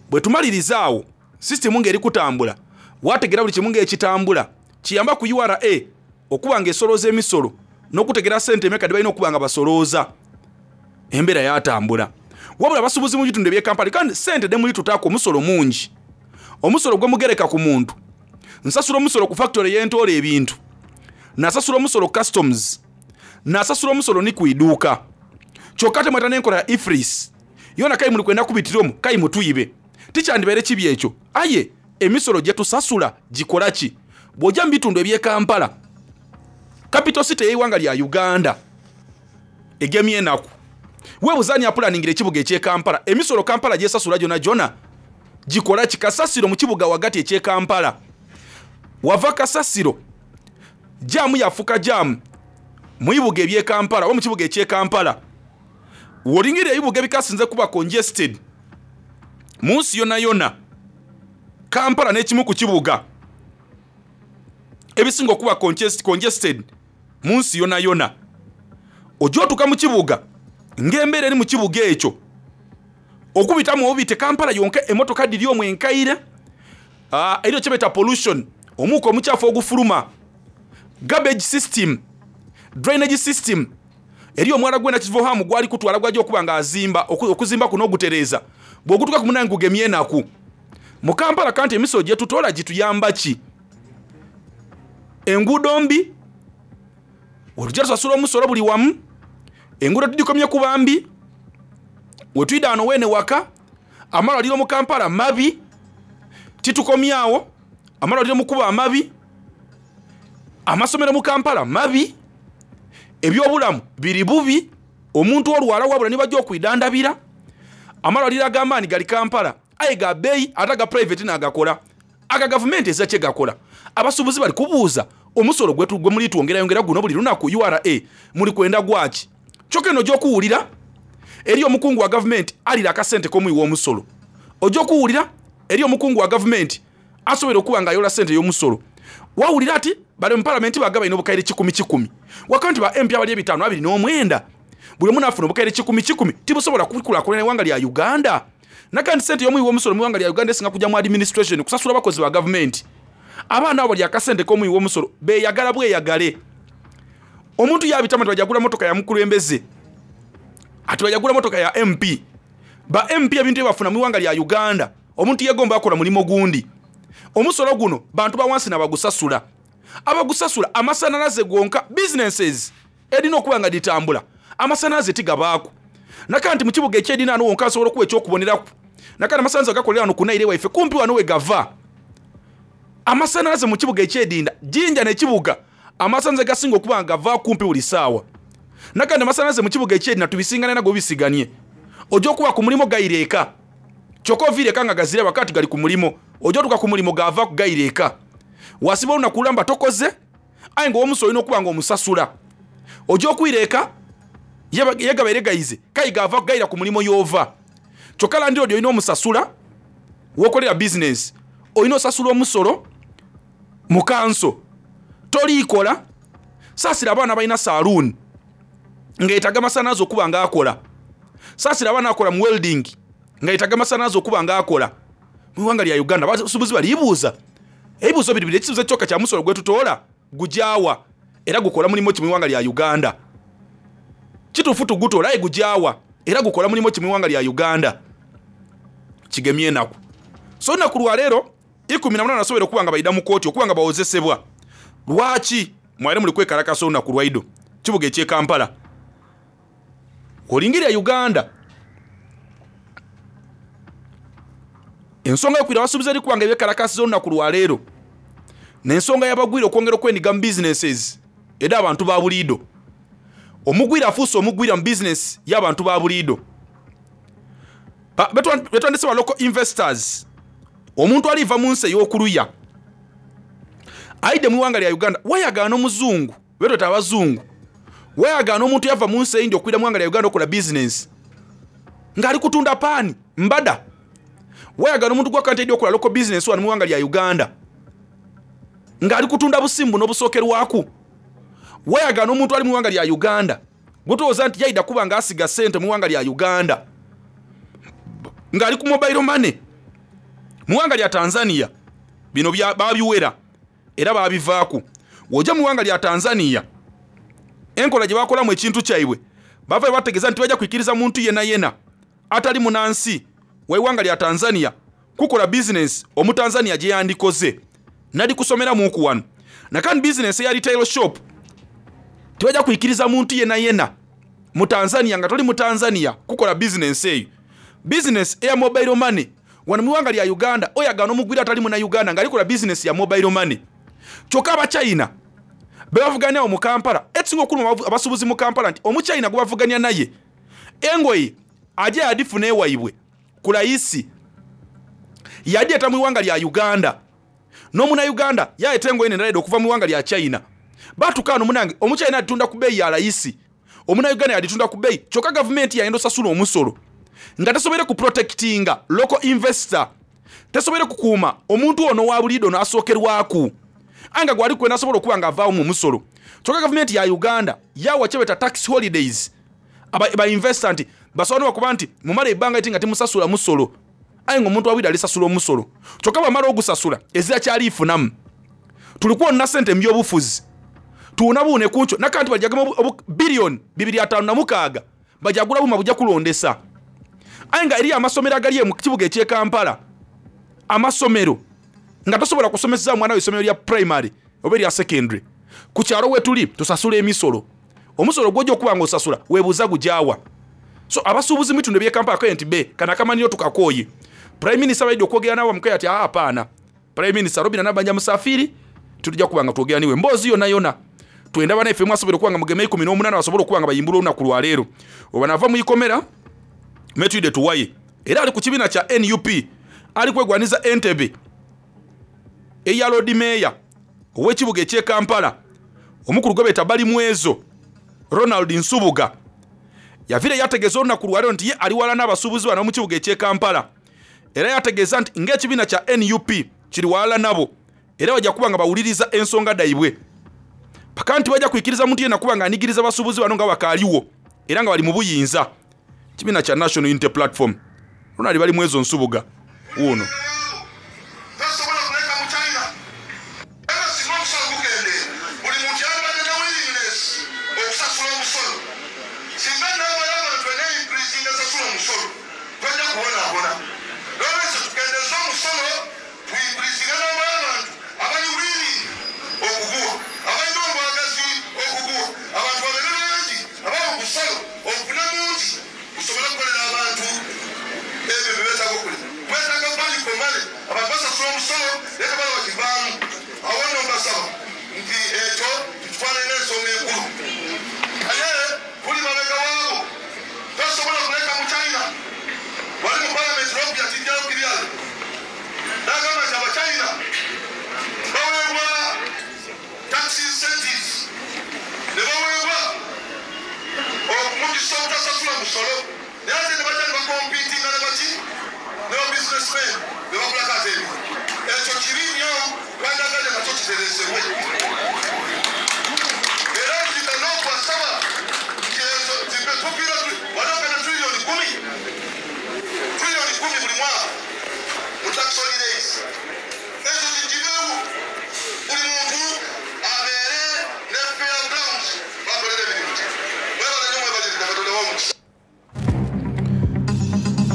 Bwe tumaliriza awo system ng'eri kutambula, wategeera buli kimu ng'ekitambula, kiyamba ku U R A okuba ng'esolooza emisolo n'okutegera ssente emeka gye balina okuba nga basolooza. Embeera yatambula. Wabula abasuubuzi mu bitundu eby'e Kampala kandi ssente demuli tutaako omusolo mungi, omusolo gwe mugereka ku muntu. Nsasula omusolo ku factory y'entoola ebintu, nasasula omusolo customs, nasasula omusolo ni ku iduuka, kyokka temweta n'enkola ya EFRIS yona kayi muli kwenda kubitiramu kayi mutuyibe. Tikyandibeere kibi ekyo, aye emisolo gye tusasula gikola ki? Bw'ojja mu bitundu eby'e Kampala, capital city y'eiwanga lya Uganda, egemye enaku, weebuuza ani apulaningira ekibuga eky'e Kampala? Emisolo Kampala gyesasula gyona gyona gikola ki? Kasasiro mu kibuga wagati eky'e Kampala, wava kasasiro jaamu yafuka jaamu mu bibuga eby'e Kampala oba mu kibuga eky'e Kampala. W'olingirira ebibuga ebikasinze kuba congested mu nsi yonna yonna, Kampala n'ekimu ku kibuga ebisinga okuba congested mu nsi yonna yonna. Ojja otuuka mu kibuga ng'embeera eri mu kibuga ekyo okubitamu obubite Kampala yonka emmotoka diri omwo enkaire, eriyo kye bayita pollution, omuuka omukyafu ogufuluma, garbage system, drainage system, eriyo omwala gwena kivohamu gwali kutwala gwajja okuba ng'azimba okuzimba kuno ogutereeza, bw'ogutuuka ku munange gugemye enaku. Mu Kampala kanti emisolo gye tutoola gituyamba ki? Enguudo mbi, olujja tusasula omusolo buli wamu, Enguudo tugikomye ku bambi, wetwida wano weene waka amalwaliro mu Kampala mabi, titukomyawo amalwaliro mu kuba amabi, amasomero mu Kampala mabi, ebyobulamu biri bubi, omuntu olwala wabula nibajja okwidandabira. Amalwaliro ag'amaanyi gali Kampala aye ga bbeeyi, ate aga private n'agakola, aga gavumenti ezira kye gakola. Abasuubuzi bali kubuuza omusolo gwe muli twongerayongera guno buli lunaku U R A muli kwenda gwaki? Kyokka eno gy'okuwulira eri omukungu wa gavumenti alira akasente k'omuwi w'omusolo. Ojja okuwulira eri omukungu wa gavumenti asobola okuba ng'ayola ssente y'omusolo. Wawulira ati bali mu palamenti bagaba ino obukaire kikumi kikumi, wakati ba M P abali ebitaano abiri n'omwenda buli omu n'afuna obukaire kikumi kikumi, tibusobola kukulaakulanya eggwanga lya Uganda. Nakandi ssente y'omuwi w'omusolo mu ggwanga lya Uganda esinga kujja mu administration kusasula abakozi ba gavumenti. Abaana abo bali akasente k'omuwi w'omusolo beeyagala bweyagale. Omuntu yabitama nti bajagula motoka ya mukulembeze, ati bajagula motoka ya M P. Ba M P ebintu byebafuna mu ggwanga lya Uganda, omuntu yegomba akola mulimo gundi. Omusolo guno bantu ba wansi n'abagusasula. Abagusasula amasannyalaze gonka, businesses erina okuba nga ditambula, amasannyalaze tigabaako. Nakandi mu kibuga eky'edina wano wonka asobola okuwa ekyokuboneraku. Nakandi amasannyalaze gakolera wano ku Nile waife kumpi wano we gava. Amasannyalaze mu kibuga eky'edinda, Jinja n'ekibuga, amasannyalaze gasinga okuba nga gava kumpi buli ssaawa. Nakandi amasannyalaze mu kibuga eky'edina tubisingane nago bisiganye. Ojja okuba ku mulimu gayireeka. Kyokka oviire eka nga gazira wakati gali ku mulimu. Ojja otuuka ku mulimu gava ku gayireeka. Wasiba olunaku lulamba tokoze, aye ng'owomuso olina okuba ng'omusasula. Ojja okwireeka, yegabaire gayize, kayi gava kugayira ku mulimu y'ova. Kyokka landlord olina omusasula, w'okolera business, olina osasula omusolo mu kanso. Toliikola, saasira abaana balina saloon ng'etaaga amasannyalaze okuba ng'akola. Saasira abaana akola mu welding ng'etaaga amasannyalaze okuba ng'akola. Mu ggwanga lya Uganda abasuubuzi balibuuza ebibuuzo biri biri, ekibuuzo kyokka kya musolo gwe tutoola gujaawa era gukola mulimu ki mu ggwanga lya Uganda? Kituufu tugutoola aye gujaawa era gukola mulimu ki mu ggwanga lya Uganda? Kigemye enaku. So olunaku lwa leero ikumi na munaana nasobola okuba nga bayida mu kkooti okuba nga bawozesebwa. Lwaki mwali muli kwekalakasa olunaku lwaido kibuga eky'e Kampala? Olingirira Uganda ensonga y'okwira abasuubuzi eri kubanga ebyekalakasiza olunaku lwa leero n'ensonga y'abagwira okwongera okwenyiga mu businesses eri abantu ba buliido. Omugwira afuuse omugwira mu business y'abantu ba buliido. Betwandise ba local investors. Omuntu aliva mu nsi ey'okuluya aidde mu ggwanga lya Uganda, wayagaana omuzungu, betweta abazungu, wayagaana omuntu yava mu nsi eyindi okwira mu ggwanga lya Uganda okola business ng'ali kutunda paani mbada. Wayagaana omuntu gwakante edi okola local business wano mu ggwanga lya Uganda ng'ali kutunda busimbu n'obusookerwaku. Wayagaana omuntu ali mu ggwanga lya Uganda gwetowooza nti yayida kuba ng'asiga ssente mu ggwanga lya Uganda ng'ali ku mobile money. Mu ggwanga lya Tanzania bino babiwera era babivaaku. W'ojja mu ggwanga lya Tanzania enkola gye bakolamu ekintu kyaibwe bava bategeeza nti bajja kukkiriza muntu yenna yenna atali munansi w'eggwanga lya Tanzania kukola business omutanzania gye yandikoze nali kusomeramuku wano. Nakandi business eya retail shop tebajja kukkiriza muntu yenna yenna mu Tanzania nga toli mu Tanzania kukola business eyo. Business eya mobile money wano mu ggwanga lya Uganda oyagaana omugwira atali muna Uganda ng'alikola business ya mobile money. Kyokka Abachina be bavuganya mu Kampala, ekisinga okuluma abasuubuzi mu Kampala nti Omuchina gwe bavuganya naye engoye ajja yadifuna ewaibwe ku layisi yadyeta mu ggwanga lya Uganda n'omuna Uganda yayeta engoye nendala okuva mu ggwanga lya China. Batuuka wano munange Omuchina atunda ku bbeeyi ya layisi, omuna Uganda yaditunda ku bbeeyi, kyokka gavumenti yayenda osasula omusolo nga tesobere ku protectinga local investor, tesobere kukuuma omuntu ono wa buliido n'asookerwaku anga gwali kwena asobola okuba ng'avaawo mu musolo. Kyokka gavumenti ya Uganda yawa kyebeta tax holidays aba ba investor nti basobola n'okuba nti mumala ebbanga iti nga temusasula musolo, aye ng'omuntu wabwire alisasula omusolo. Kyokka bw'amala ogusasula ezira kyaliifunamu. Tulikuwonna ssente mu byobufuzi tuwunabuune ku nkyo nakanti bajjagemu biliyoni bibiri ataano na mukaaga bajagula buma bujja kulondesa. Aye nga eriyo amasomero agali mu kibuga eky'e Kampala, amasomero nga tosobola kusomesa mwana we essomero lya primary oba erya secondary. Ku kyalo we tuli tusasula emisolo. Omusolo gw'ojja okuba nga osasula weebuuza gujaawa. So abasuubuzi mu bitundu eby'e Kampala kaye nti be kano akamanyiiro tukakooye. Prime Minister baidde okwogera nabo bamukaye ati aa apaana. Prime Minister Robinah Nabbanja Musafiri tujja kuba nga twogera niwe mboozi yonna yonna. Twenda bannaffe mwasobola okuba nga mugeme ikumi n'omunaana basobole okuba nga bayimbula olunaku lwa leero. Oba nava mu ikomera Metwide Tuwaye era ali ku kibiina kya N U P ali kwegwaniza Entebbe eya Lord Mayor ow'ekibuga eky'e Kampala omukulu gwe beeta Balimwezo Ronald Nsubuga yavire yategeeza olunaku lwa leero nti ye ali wala n'abasuubuzi bano mu kibuga eky'e Kampala era yategeeza nti ng'ekibiina kya N U P kiri wala nabo era bajja kuba nga bawuliriza ensonga daibwe paka nti bajja kuikiriza muntu yenna kuba nga anigiriza abasuubuzi bano nga bakaaliwo era nga bali mu buyinza. Kibiina kya National Unity Platform Ronald Balimwezo Nsubuga wuuno.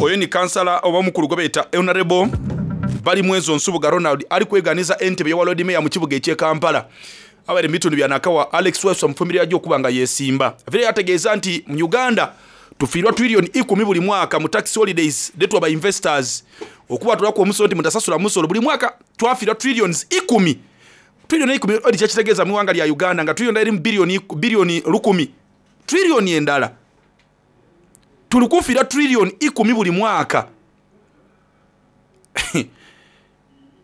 Oyo ni kansala oba mukulu gwe bayita Honorable Balimwezo Nsubuga Ronald ali kweganiza Entebbe ya Lord Mayor mu kibuga eky'e Kampala. Abali mu bitundu bya Nakawa Alex Webster mufumbiri ajja okuba nga yeesimba. Vile yategeeza nti mu Uganda tufiirwa trillion ikumi buli mwaka mu tax holidays detwa ba investors okuba tulako omusolo nti mutasasula musolo buli mwaka twafiirwa trillions ikumi. Trillion ikumi odi kyakitegeeza mu ggwanga lya Uganda nga trillion eri mu billion billion lukumi. Trillion endala tulikufiira trillion ikumi buli mwaka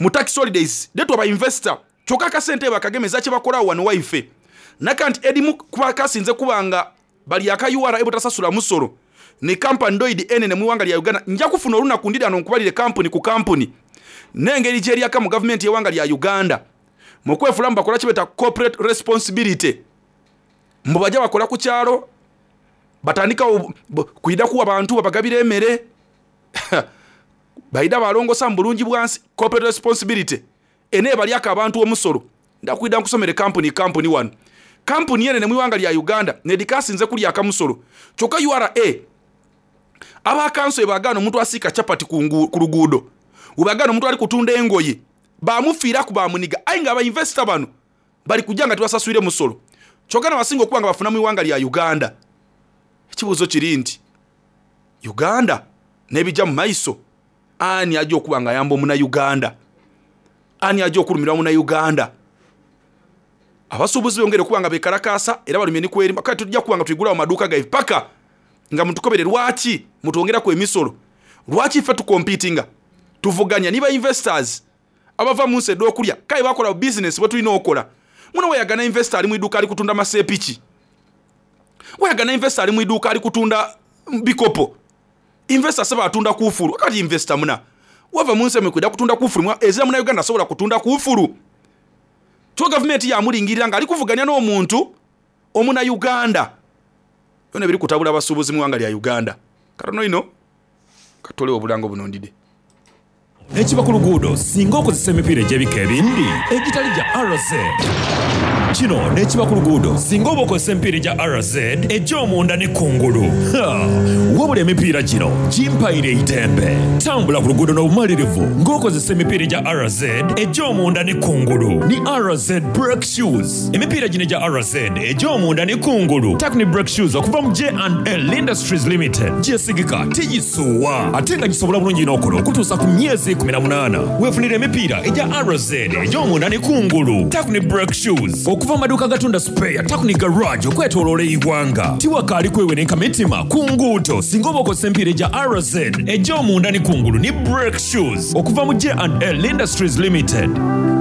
mu tax holidays detwa ba investor kyokka akasente bakagemeza kye bakola wano waife naka nti edimu kuba kasinze kubanga bali aka U R A butasasula musolo ne company ndoidi enene mu ggwanga lya Uganda. Nja kufuna olunaku ndira nkubalire company ku company n'engeri gyeri aka mu government y'eggwanga lya Uganda mu kwefula mbakola kibeta corporate responsibility mbu bajja bakola ku kyalo batandika kuyida kuwa abantu babagabira emmere bayida balongosa mu bulungi bwansi corporate responsibility ene balyaka abantu omusolo. Ndakwida nkusomere company company wano company yenene mu ggwanga lya Uganda nedikasinze kulya akamusolo kyokka U R A aba kanso ebagano omuntu asika chapati ku luguudo ubagano omuntu ali kutunda engoye bamufiira ku bamuniga ayi nga aba investor bano bali kujja nga tibasaswire musolo kyokka n'abasinga okuba nga bafuna mu ggwanga lya Uganda. Ekibuuzo kiri nti Uganda n'ebijja mu maiso ani ajja okuba nga ayamba omunnauganda? Ani ajja okulumirwa munnayuganda? Abasuubuzi bongere okuba nga beekalakaasa era balumye nikwerima. Kale tujja kuba nga tuyigulawo maduuka gaife paka nga mutukobere lwaki mutwongeraku emisolo, lwaki ffe tukompitinga tuvuganya niba investors abava mu nsi ed'okulya kale bakola business bwe tulina okola. Muno weyagana investor ali mu idduuka ali kutunda maseepiki, weyagana investor ali mu idduuka ali kutunda bikopo, investor saba atunda kuufulu. Kati investor muna wava mu nsi emikwida kutunda kuufulu ezira munnayuganda asobola kutunda kuufulu. Kyo gavumenti yamulingirira ng'ali kuvuganya n'omuntu omunnayuganda. Byonna biri kutabula abasuubuzi mu ggwanga lya Uganda. Katono ino katolewo obulango buno ndide. Ekiba ku luguudo singa okozesa emipiira egy'ebika ebindi egitali gya R Z. Kino n'ekiba ku luguudo singa oba okozesa emipiira egya R Z egy'omunda ne kungulu. Ha! Wabula emipiira gino gimpaire eitembe. Tambula ku luguudo n'obumalirivu ng'okozesa emipiira egya R Z egy'omunda ne kungulu. Ni R Z brake shoes. Emipiira gino egya R Z egy'omunda ne kungulu. Takuni brake shoes okuva mu J and L Industries Limited. Gyesigika tigisuwa ate nga gisobola bulungi n'okola okutuusa ku myezi kumi na munaana. Weefunire emipiira egya R Z egy'omunda ne kungulu. Takuni brake shoes okuva mu maduuka agatunda spare Takuni garage okwetooloola eggwanga. Tiwakaali kwewenenka mitima ku nguudo singa oba okozesa emipiira egya R Z egy'omunda ne kungulu ni brake shoes okuva mu J and L Industries Limited.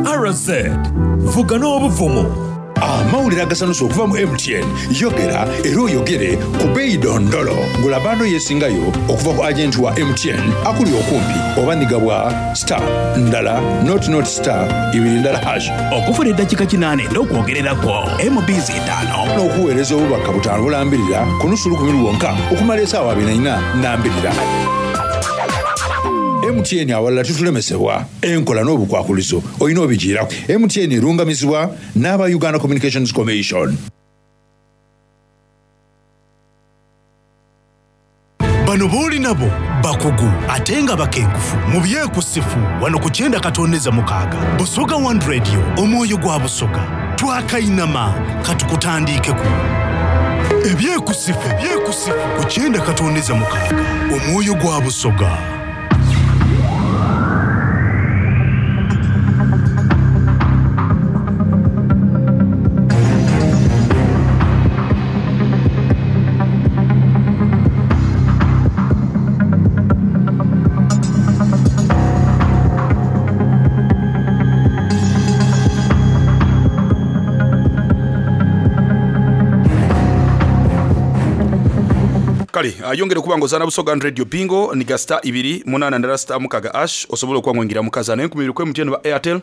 R Z, vuga n'obuvumu. Amawulire agasanusa okuva mu M T N. Yogera era oyogere ku bbeeyi dondolo. Gula bando yeesingayo okuva ku agenti wa M T N akuli okumpi oba nigabwa star ndala not not star ibiri ndala hash. Okufuna eddakiika kinaana n'okwogererako M B Z ttaano. N'okuweereza obubaka butaano bulambirira ku nusu lukumi lwonka okumala essaawa abiri na nnya nnambirira. M T N awalala tutulemesebwa enkola n'obukwakulizo olina obigiirako. M T N erungamizibwa n'aba Uganda Communications Commission. Bano booli nabo bakugu ate nga bakenkufu mu byekusifu wano ku kyenda katondeza mukaaga. Busoga One Radio, omwoyo gwa Busoga. Twakainama katukutandiikeku. Ebyekusifu, ebyekusifu ku kyenda katondeza mukaaga, omwoyo gwa Busoga. Kale, ayongere okuba ng'ozaana Busoga Radio Bingo ni ga star ibiri munaana ndala star mukaga ash osobola okuba ng'oyingira mu kazaano enkumi ibiri ku M T N ba Airtel,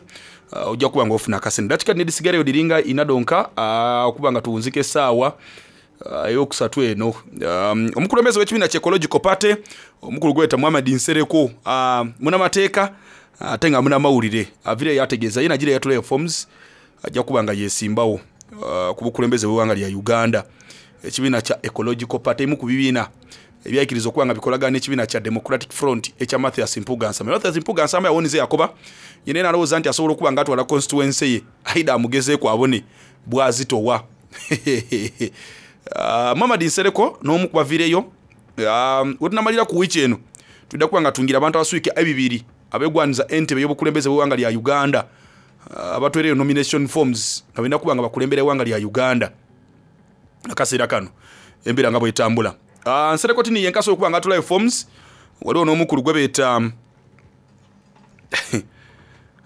uh, ojja kuba ng'ofuna akasente. Dakika nedisigaleyo diringa inadonka, uh, okuba nga tuwunzika essaawa, uh, eyokusatu eno. Um, omukulembeze w'ekibiina kya Ecological Party omukulu gweta Muhammad Nsereko, uh, munnamateeka ate nga munnamawulire avire yategeeza ye nagira yatulayo forms ajja kuba nga yeesimbawo, uh, ku bukulembeze bw'eggwanga lya Uganda. Ekibiina kya Ecological Party emu ku bibiina ebyayikiriza okuba nga bikolagana n'ekibiina kya Democratic Front ekya Mathias Mpuuga Nsamba. Mathias Mpuuga Nsamba yawonize Yakoba yena era alowooza nti asobola okuba nga atwala constituency ye aida amugezeeko abone bw'azitowa. Uh, Muhammad Nsereko n'omu ku baviireyo, um, we tunamalira ku wiiki eno tudda kuba nga tungira abantu abaswika ebibiri abeegwaniza entebe y'obukulembeze bw'eggwanga lya Uganda, uh, abatwereyo nomination forms nga benda kuba nga bakulembera eggwanga lya Uganda. Akaseera kano embeera nga bw'etambula. Uh, Nsereko tini yenkaso okuba nga atulayo forms, waliwo n'omukulu gwe beeta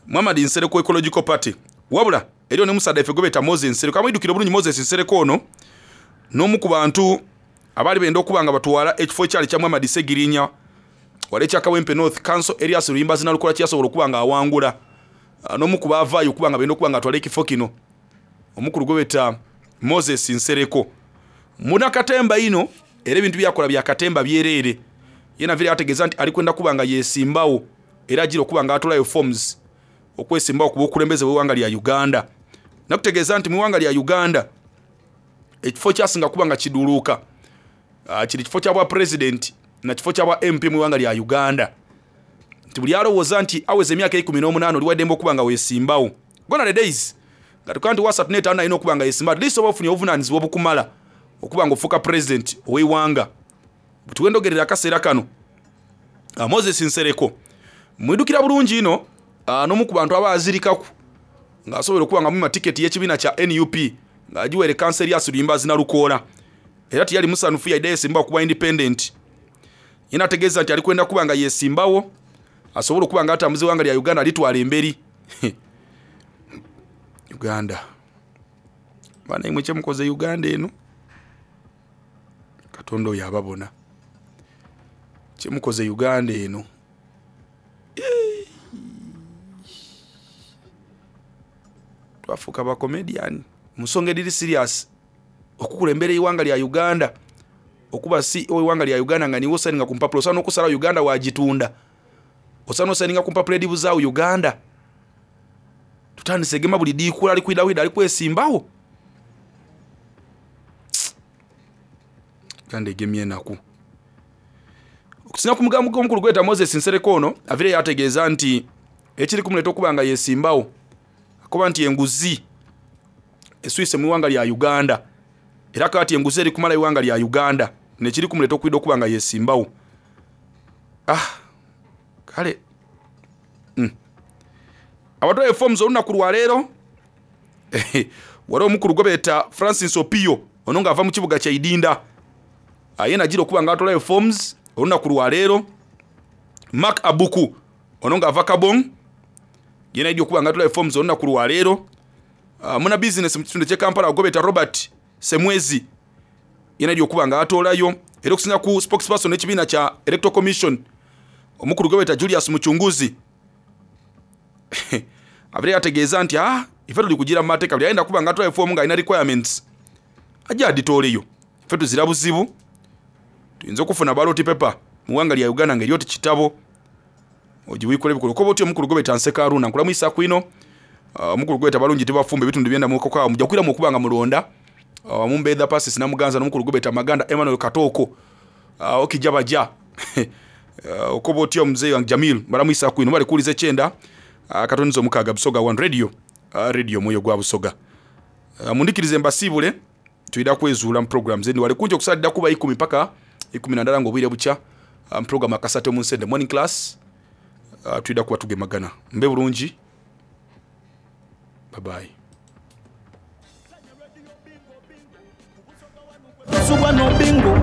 Muhammad Nsereko Ecological Party. Wabula eriyo ne musadda ife gwe beeta Moses Nsereko. Amwidukira obulungi Moses Nsereko ono n'omu ku bantu abaali benda okuba nga batwala ekifo ekyali kya Muhammad Ssegirinya wali ekya Kawempe North Council Elias Luyimbazi Nalukola kyasobola okuba nga awangula. Uh, n'omu ku baavaayo okuba nga benda okuba nga atwala ekifo kino omukulu gwe beeta Moses Nsereko. Munakatemba ino era ebintu byakola bya katemba byereere. Ye navire ategeeza nti ali kwenda kuba nga yeesimbawo era agira okuba nga atulayo forms okwesimbawo ku bukulembeze bw'eggwanga lya Uganda. Nakutegeeza nti mu ggwanga lya Uganda ekifo kyasinga kuba nga kiduluuka, ah, kiri kifo kya bwa president na kifo kya bwa M P mu ggwanga lya Uganda. Nti buli alowooza nti aweza emyaka ekumi n'omunaana oli waddembe okuba nga weesimbawo. Gone are the days nga tukaa nti wasatu n'etaano alina okuba nga yeesimba, at least oba ofunye obuvunaanyizibwa obukumala okuba nga ofuuka president ow'eggwanga. Tuwendogerera akaseera kano, ah, Moses Nsereko mwidukira bulungi ino, ah, n'omu ku bantu abaazirikaku ng'asobola okuba nga mumma tiketi y'ekibiina kya N U P ng'agiweere Council Elias Luyimbazi Nalukoola. Era teyali musanufu yadde yeesimbawo kuba independent. Ye n'ategeeza nti ali kwenda kuba nga yeesimbawo asobole okuba nga atambuza eggwanga lya Uganda litwala emberi. Uganda. Bana imwe kye mukoze Uganda eno. Katonda oyo ababona. Kye mukoze Uganda eno. Twafuuka ba comedian. Mu nsonga ediri serious okukulembera eggwanga lya Uganda okuba C E O w'eggwanga lya Uganda nga niwe osayininga ku mpapula osaana okusalawo Uganda wagitunda. Osaana osayininga ku mpapula edibuzaawo Uganda. Tutandise egema buli diikula ali kwidawida ali kwesimbawo. Uganda egemye enaku. Okusinga ku mugambo gw'omukulu gweta Moses Nsereko, ono avire yategeeza nti ekiri kumuleeta okuba nga yesimbawo akuba nti enguzi eswise mu iwanga lya Uganda, era kati enguzi eri kumala iwanga lya Uganda nekiri kumuleeta okwida okuba nga yesimbawo. Ah, kale mm. Abatwaye forms olunaku lwaleero waliwo omukulu gwe beeta Francis Opio, ono ng'ava mu kibuga kya Idinda, ye nagira okuba nga atolayo forms olunaku lwaleero. Mark Abuku, ono ng'ava Kabong, ye naidya okuba nga atolayo forms olunaku lwaleero. uh, muna business mu kitundu ekye Kampala gwe beeta Robert Semwezi, ye naidya okuba nga atolayo. Era okusinga ku spokesperson n'ekibiina kya Electoral Commission, omukulu gwe beeta Julius Muchunguzi, abire yategeeza nti ah, ife tuli kugira mu mateeka, buli ayenda kuba nga atolayo fomu ng'alina requirements ajja aditooleyo, ife tuzira buzibu. Tuyinza okufuna ballot paper mu ggwanga lya Uganda ng'eri oti kitabo ogiwikula ebikolo koba otyo. Omukulu gwe beeta Nseka Haruna, nkulamwisa kwino. Omukulu gwe beeta Balungi Tibafumba, ebitundu byenda mukokawo mujja kwiramu okuba nga mulonda uh, Mumbeetha Pasis Namuganza n'omukulu gwe beeta Maganda Emmanuel Katoko, uh, okijja baja uh, okoba otya omuzeeyi wange Jamil, balamwisa kwino bali kuwuliza ekyenda uh, katoniza omukaaga Busoga One Radio, uh, radio omwoyo gwa Busoga. uh, mundikirize mbasiibule, tuyida kwezuula mu programs endi wale kungi okusalidda kuba ikumi paka ikumi na ndala ng'obwire bukya mu program akasate mu nsende morning class. uh, tuyida kuba tugemagana, mbe bulungi, bye bye. Tosubwa no bingo.